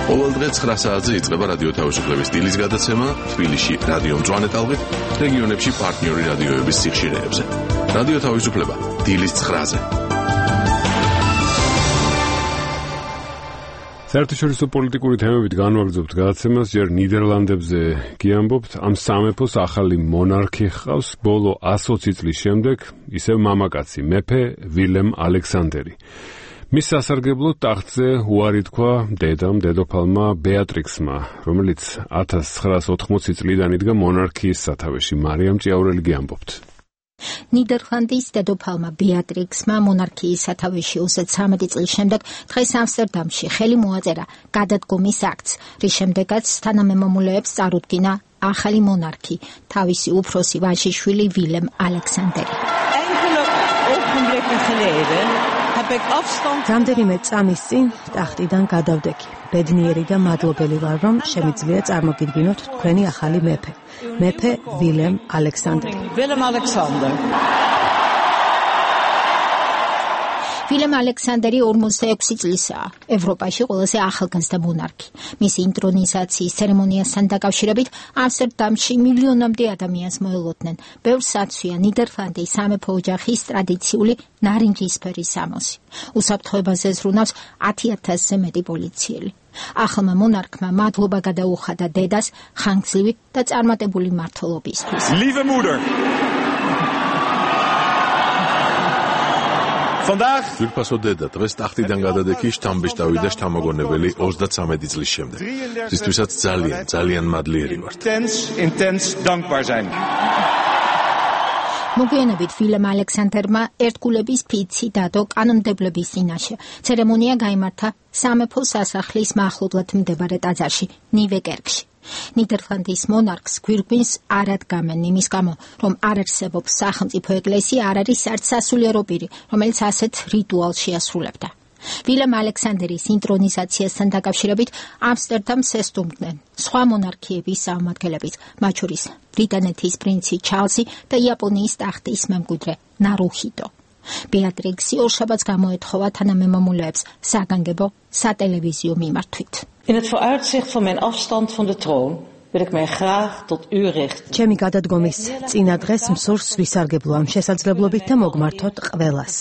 ყოველ დღე ცხრა საათზე იწყება რადიო თავისუფლების დილის გადაცემა, თბილისში რადიო მწვანე ტალღით, რეგიონებში პარტნიორი რადიოების სიხშირეებზე. რადიო თავისუფლება დილის ცხრაზე. საერთაშორისო პოლიტიკური თემებით განვაგრძობთ გადაცემას, ჯერ ნიდერლანდებზე გიამბობთ, ამ სამეფოს ახალი მონარქი ჰყავს, ბოლო ათი წლის შემდეგ ისევ მამაკაცი, მეფე ვილემ ალექსანდერი. მის სასარგებლოდ ტახტზე უარი თქვა დედამ, დედოფალმა ბეატრიქსმა, რომელიც ათას ცხრაას ოთხმოცი წლიდან იდგა მონარქიის სათავეში. მარიამ ჭიაურელი გიამბობთ. ნიდერლანდის დედოფალმა ბეატრიქსმა მონარქიის სათავეში ოცდათრამეტი წლის შემდეგ დღეს ამსტერდამში ხელი მოაწერა გადადგომის აქტს, რის შემდეგაც თანამემამულეებს წარუდგინა ახალი მონარქი, თავისი უფროსი ვაჟიშვილი ვილემ ალექსანდერი. რამდენიმე წამის წინ ტახტიდან გადავდექი. ბედნიერი და მადლობელი ვარ, რომ შემიძლია წარმოგიდგინოთ თქვენი ახალი მეფე. მეფე ვილემ ალექსანდერი. ვილემ ალექსანდერი. ვილემ ალექსანდერი ორმოცდაექვსი წლისაა. ევროპაში ყველაზე ახალგაზრდა მონარქი. მისი ინტრონიზაციის ცერემონიასთან დაკავშირებით ამსტერდამში მილიონამდე ადამიანს მოელოდნენ. ბევრს აცვია ნიდერლანდის სამეფო ოჯახის ტრადიციული ნარინჯისფერი სამოსი. უსაფრთხოებაზე ზრუნავს ათი ათასზე მეტი პოლიციელი. ახალმა მონარქმა მადლობა გადაუხადა დედას ხანგრძლივი და წარმატებული მმართველობისთვის. Lieve moeder. Vandaag ძვირფასო დედა დღეს ტახტიდან გადადექი შთამბეჭდავი და შთამოგონებელი ოცდათრამეტი წლის შემდეგ. ისთვისაც ძალიან, ძალიან მადლიერი ვართ. intens, intens dankbaar zijn. მოგვიანებით ვილემ ალექსანდერმა ერთგულების ფიცი დადო კანონმდებლობის წინაშე. ცერემონია გაიმართა სამეფო სასახლის მახლობლად მდებარე ტაძარში, ნივეკერკში. ნიდერლანდის მონარქს გვირგვინს არ ადგამენ იმის გამო, რომ არ არსებობს სახელმწიფო ეკლესია, არ არის არც სასულიერო პირი, რომელიც ასეთ რიტუალს შეასრულებდა. ვილემ ალექსანდერის ინტრონიზაციასთან დაკავშირებით ამსტერდამს ესტუმრდნენ სხვა მონარქიების წარმომადგენლებიც, მათ შორის ბრიტანეთის პრინცი ჩარლზი და იაპონიის ტახტის მემკვიდრე ნარუჰიტო. ბეატრიქსი ორშაბათს გამოეთხოვა თანამემამულეებს საგანგებო სატელევიზიო მიმართვით. In het vooruitzicht van mijn afstand van de troon wil ik mij graag tot u richten. ჩემი გადადგომის წინა დღეს მსურს ვისარგებლო ამ შესაძლებლობით და მოგმართოთ ყველას.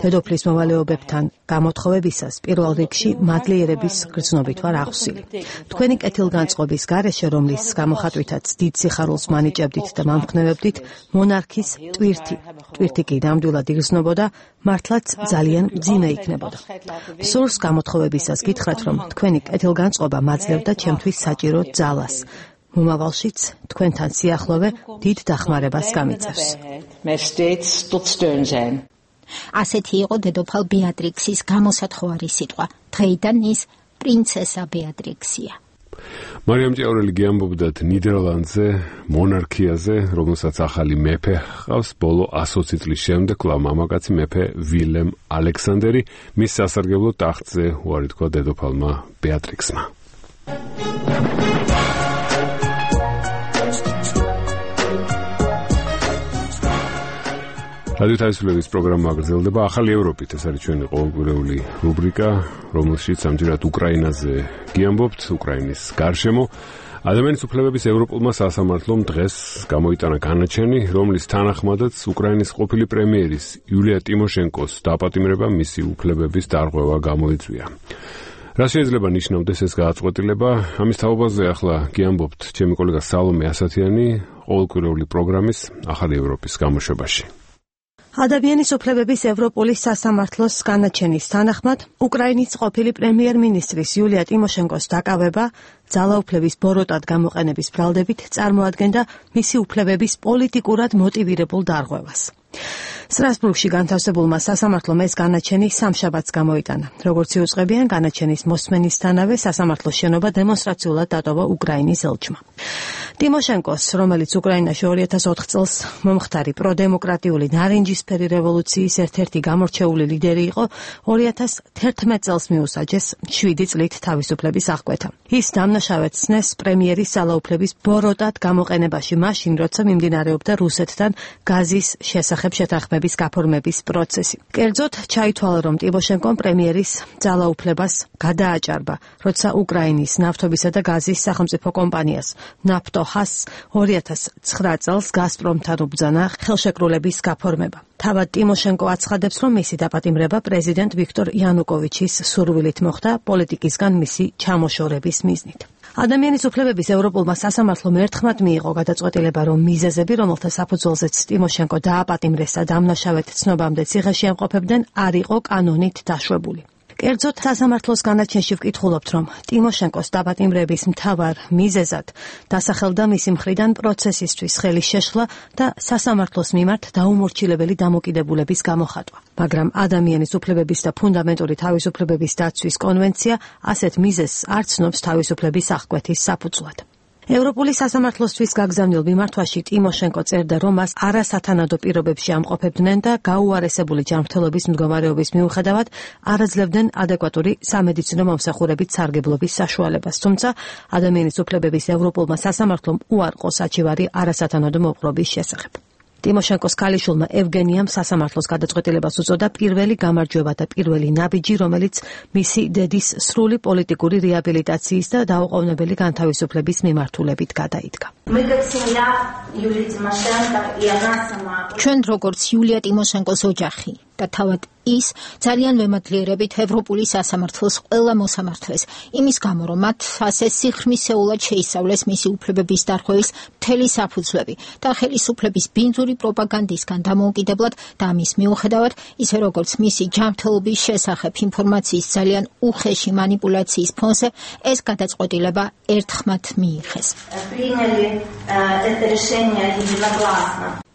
დედოფლის მოვალეობებთან გამოთხოვებისას პირველ რიგში მადლიერების გრძნობით ვარ აღსილი. თქვენი კეთილგანწყობის გარეშე, რომლის გამოხატვითაც დიდ სიხარულს მანიჭებდით და მამხნევებდით, მონარქის ტვირთი, ტვირთი კი ნამდვილად იგრძნობოდა, მართლაც ძალიან მძიმე იქნებოდა. მსურს გამოთხოვებისას გითხრათ, რომ თქვენი კეთილგანწყობა მაძლევდა ჩემთვის საჭირო ძალას. მომავალშიც თქვენთან სიახლოვე დიდ დახმარებას გამიწევს. ასეთი იყო დედოფალ ბეატრიქსის გამოსათხოვარი სიტყვა. დღეიდან ის პრინცესა ბეატრიქსია. მარიამ ჭიაურელი გიამბობდათ ნიდერლანდზე მონარქიაზე, რომელსაც ახალი მეფე ჰყავს, ბოლო ათი წლის შემდეგ კვლავ მამაკაცი მეფე ვილემ ალექსანდერი, მის სასარგებლოდ ტახტზე უარი თქვა დედოფალმა ბეატრიქსმა. რადიო თავისუფლების პროგრამა გრძელდება ახალი ევროპით. ეს არის ჩვენი ყოველკვირეული რუბრიკა, რომელშიც ამჯერად უკრაინაზე გიამბობთ, უკრაინის გარშემო. ადამიანის უფლებების ევროპულმა სასამართლომ დღეს გამოიტანა განაჩენი, რომლის თანახმადაც უკრაინის ყოფილი პრემიერის იულია ტიმოშენკოს დაპატიმრება მისი უფლებების დარღვევა გამოიწვია. რა შეიძლება ნიშნავდეს ეს გადაწყვეტილება? ამის თაობაზე ახლა გიამბობთ ჩემი კოლეგა სალომე ასათიანი ყოველკვირეული პროგრამის ახალი ევროპის გამოშვებაში. ადამიანის უფლებების ევროპული სასამართლოს განაჩენის თანახმად უკრაინის ყოფილი პრემიერ-მინისტრის იულია ტიმოშენკოს დაკავება ძალაუფლების ბოროტად გამოყენების ბრალდებით წარმოადგენდა მისი უფლებების პოლიტიკურად მოტივირებულ დარღვევას. სტრასბურგში განთავსებულმა სასამართლომ ეს განაჩენი სამშაბათს გამოიტანა. როგორც იუწყებიან, განაჩენის მოსმენისთანავე სასამართლოს შენობა დემონსტრაციულად დატოვა უკრაინის ელჩმა. ტიმოშენკოს, რომელიც უკრაინაში ორი ათას ოთხ წელს მომხდარი პროდემოკრატიული ნარინჯისფერი რევოლუციის ერთ-ერთი გამორჩეული ლიდერი იყო, ორი ათას თერთმეტ წელს მიუსაჯეს შვიდი წლით თავისუფლების აღკვეთა. ის დამნაშავედ ცნეს პრემიერის ძალაუფლების ბოროტად გამოყენებაში მაშინ, როცა მიმდინარეობდა რუსეთთან გაზის შესახებ შეთანხმების გაფორმების პროცესი. კერძოდ, ჩაითვალა, რომ ტიმოშენკომ პრემიერის ძალაუფლებას გადააჭარბა, როცა უკრაინის ნავთობისა და გაზის სახელმწიფო კომპანიას ნაფტოჰას ორი ათას ცხრა წელს გაზპრომთან უბრძანა ხელშეკრულების გაფორმება. თავად ტიმოშენკო აცხადებს, რომ მისი დაპატიმრება პრეზიდენტ ვიქტორ იანუკოვიჩის სურვილით მოხდა პოლიტიკისგან მისი ჩამოშორების მიზნით. ადამიანის უფლებების ევროპულმა სასამართლომ ერთხმად მიიღო გადაწყვეტილება, რომ მიზეზები, რომელთა საფუძველზეც ტიმოშენკო დააპატიმრეს და დამნაშავედ ცნობამდე ციხეში ემყოფებდნენ, არ იყო კანონით დაშვებული. კერძოდ, სასამართლოს განაჩენში ვკითხულობთ, რომ ტიმოშენკოს დაპატიმრების მთავარ მიზეზად დასახელდა მისი მხრიდან პროცესისთვის ხელის შეშლა და სასამართლოს მიმართ დაუმორჩილებელი დამოკიდებულების გამოხატვა. მაგრამ ადამიანის უფლებების და ფუნდამენტური თავისუფლებების დაცვის კონვენცია ასეთ მიზეზს არ ცნობს თავისუფლების აღკვეთის საფუძვლად. ევროპული სასამართლოსთვის გაგზავნილ მიმართვაში ტიმოშენკო წერდა, რომ მას არასათანადო პირობებში ამყოფებდნენ და გაუარესებული ჯანმრთელობის მდგომარეობის მიუხედავად არ აძლევდნენ ადეკვატური სამედიცინო მომსახურებით სარგებლობის საშუალებას. თუმცა ადამიანის უფლებების ევროპულმა სასამართლომ უარყო საჩივარი არასათანადო მოპყრობის შესახებ. ტიმოშენკოს ქალიშვილმა ევგენიამ სასამართლოს გადაწყვეტილებას უწოდა პირველი გამარჯვება და პირველი ნაბიჯი, რომელიც მისი დედის სრული პოლიტიკური რეაბილიტაციის და დაუყოვნებელი განთავისუფლების მიმართულებით გადაიდგა. ჩვენ როგორც იულია ტიმოშენკოს ოჯახი და თავად ის ძალიან ვემადლიერებით ევროპული სასამართლოს ყველა მოსამართლეს იმის გამო, რომ მათ ასე სიღრმისეულად შეისწავლეს მისი უფლებების დარღვევის მთელი საფუძვლები და ხელისუფლების ბინძური პროპაგანდისგან დამოუკიდებლად და ამის მიუხედავად, ისე როგორც მისი ჯანმრთელობის შესახებ ინფორმაციის ძალიან უხეში манипуляციის ფონზე ეს გადაწყვეტილება ერთხმად მიიღეს.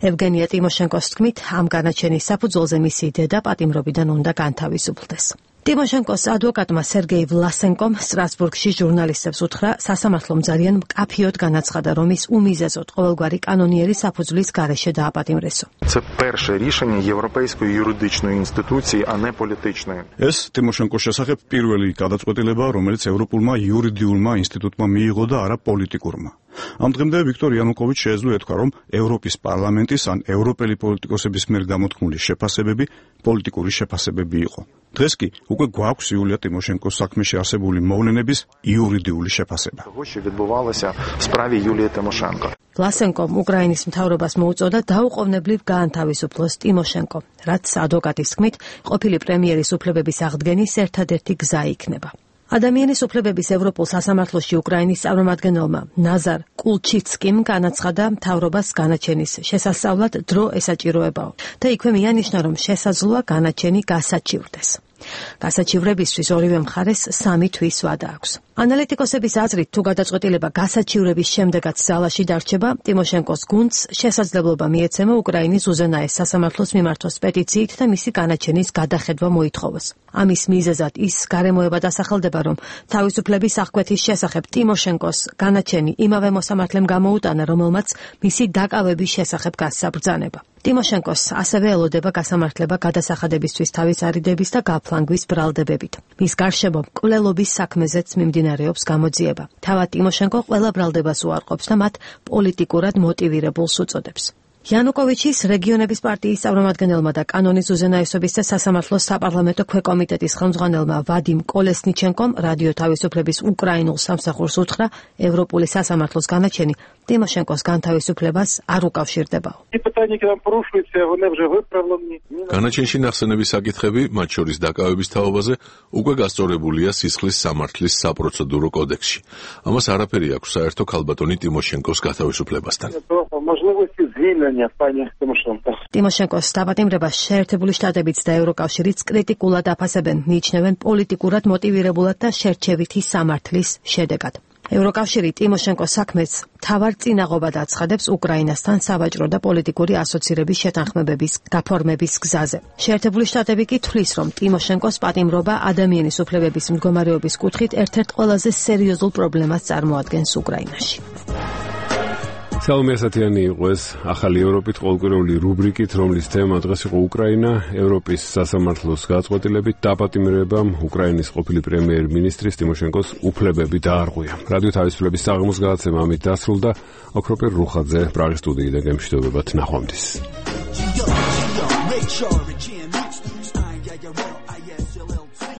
ევგენია ტიმოშენკოს თქმით, ამ განაჩენის საფუძველზე მისი დედა პატიმრობიდან უნდა განთავისუფლდეს. ტიმოშენკოს ადვოკატმა სერგეი ვლასენკომ სტრასბურგში ჟურნალისტებს უთხრა, სასამართლომ ძალიან მკაფიოდ განაცხადა, რომ ის უმიზეზოდ ყოველგვარი კანონიერი საფუძვლის გარეშე დააპატიმრესო. Це перше рішення європейської юридичної інституції, а не політичної. ეს ტიმოშენკოს შესახებ პირველი გადაწყვეტილება, რომელიც ევროპულმა იურიდიულმა ინსტიტუტმა მიიღო და არა პოლიტიკურმა. ამ დღემდე ვიქტორ იანუკოვიჩს შეეძლო ეთქვა, რომ ევროპის პარლამენტის ან ევროპელი პოლიტიკოსების მიერ გამოთქმული შეფასებები პოლიტიკური შეფასებები იყო. დღეს კი უკვე გვაქვს იულია ტიმოშენკოს საქმეში არსებული მოვლენების იურიდიული შეფასება. Того, що відбувалося в справі Юлії Тимошенко. ვლასენკომ უკრაინის მთავრობას მოუწოდა დაუყოვნებლივ გაანთავისუფლოს ტიმოშენკო, რაც ადვოკატის თქმით, ყოფილი პრემიერის უფლებების აღდგენის ერთადერთი გზა იქნება. ადამიანის უფლებების ევროპულ სასამართლოში უკრაინის წარმომადგენელმა ნაზარ კულჩიცკიმ განაცხადა მთავრობას განაჩენის შესასწავლად დრო ესაჭიროებაო და იქვე მიანიშნა, რომ შესაძლოა განაჩენი გასაჩივრდეს. გასაჩივრებისთვის ორივე მხარეს სამი თვის ვადა აქვს. ანალიტიკოსების აზრით, თუ გადაწყვეტილება გასაჩივრების შემდეგაც ძალაში დარჩება, ტიმოშენკოს გუნდს შესაძლებლობა მიეცემა უკრაინის უზენაეს სასამართლოს მიმართოს პეტიციით და მისი განაჩენის გადახედვა მოითხოვოს. ამის მიზეზად ის გარემოება დასახელდება, რომ თავისუფლების აღკვეთის შესახებ ტიმოშენკოს განაჩენი იმავე მოსამართლემ გამოუტანა, რომელმაც მისი დაკავების შესახებ გასცა ბრძანება. ტიმოშენკოს ასევე ელოდება გასამართლება გადასახადებისთვის თავის არიდების და გაფლანგვის ბრალდებებით. მის გარშემო მკვლელობის საქმეზეც მიმდინარეობს გამოძიება. თავად ტიმოშენკო ყველა ბრალდებას უარყოფს და მათ პოლიტიკურად მოტივირებულს უწოდებს. იანუკოვიჩის რეგიონების პარტიის წარმომადგენელმა და კანონის უზენაესობის და სასამართლოს საპარლამენტო ქვეკომიტეტის ხელმძღვანელმა ვადიმ კოლესნიჩენკომ რადიო თავისუფლების უკრაინულ სამსახურს უთხრა ევროპული სასამართლოს განაჩენი ტიმოშენკოს განთავისუფლებას არ უკავშირდებაო. განაჩენში ნახსენები საკითხები, მათ შორის დაკავების თაობაზე, უკვე გასწორებულია სისხლის სამართლის საპროცედურო კოდექსში. ამას არაფერი აქვს საერთო ქალბატონი ტიმოშენკოს გათავისუფლებასთან. ტიმოშენკოს დაპატიმრებას შეერთებული შტატებიც და ევროკავშირიც კრიტიკულად აფასებენ, მიიჩნევენ პოლიტიკურად მოტივირებულად და შერჩევითი სამართლის შედეგად. ევროკავშირი ტიმოშენკოს საქმეს მთავარ წინაღობად აცხადებს უკრაინასთან სავაჭრო და პოლიტიკური ასოცირების შეთანხმებების გაფორმების გზაზე. შეერთებული შტატები კი თვლის, რომ ტიმოშენკოს პატიმრობა ადამიანის უფლებების მდგომარეობის კუთხით ერთ-ერთ ყველაზე სერიოზულ პრობლემას წარმოადგენს უკრაინაში. სალომე ასათიანი იყო ეს ახალი ევროპით ყოველკვირეული რუბრიკით, რომლის თემა დღეს იყო უკრაინა, ევროპის სასამართლოს გაწყვეტილებით დაპატიმრებამ უკრაინის ყოფილი პრემიერ-მინისტრის ტიმოშენკოს უფლებები დაარღვია. რადიო თავისუფლების საღამოს გადაცემა ამით დასრულდა. ოქროპერ რუხაძე პრაღის სტუდიიდან გემშვიდობებათ, ნახვამდის.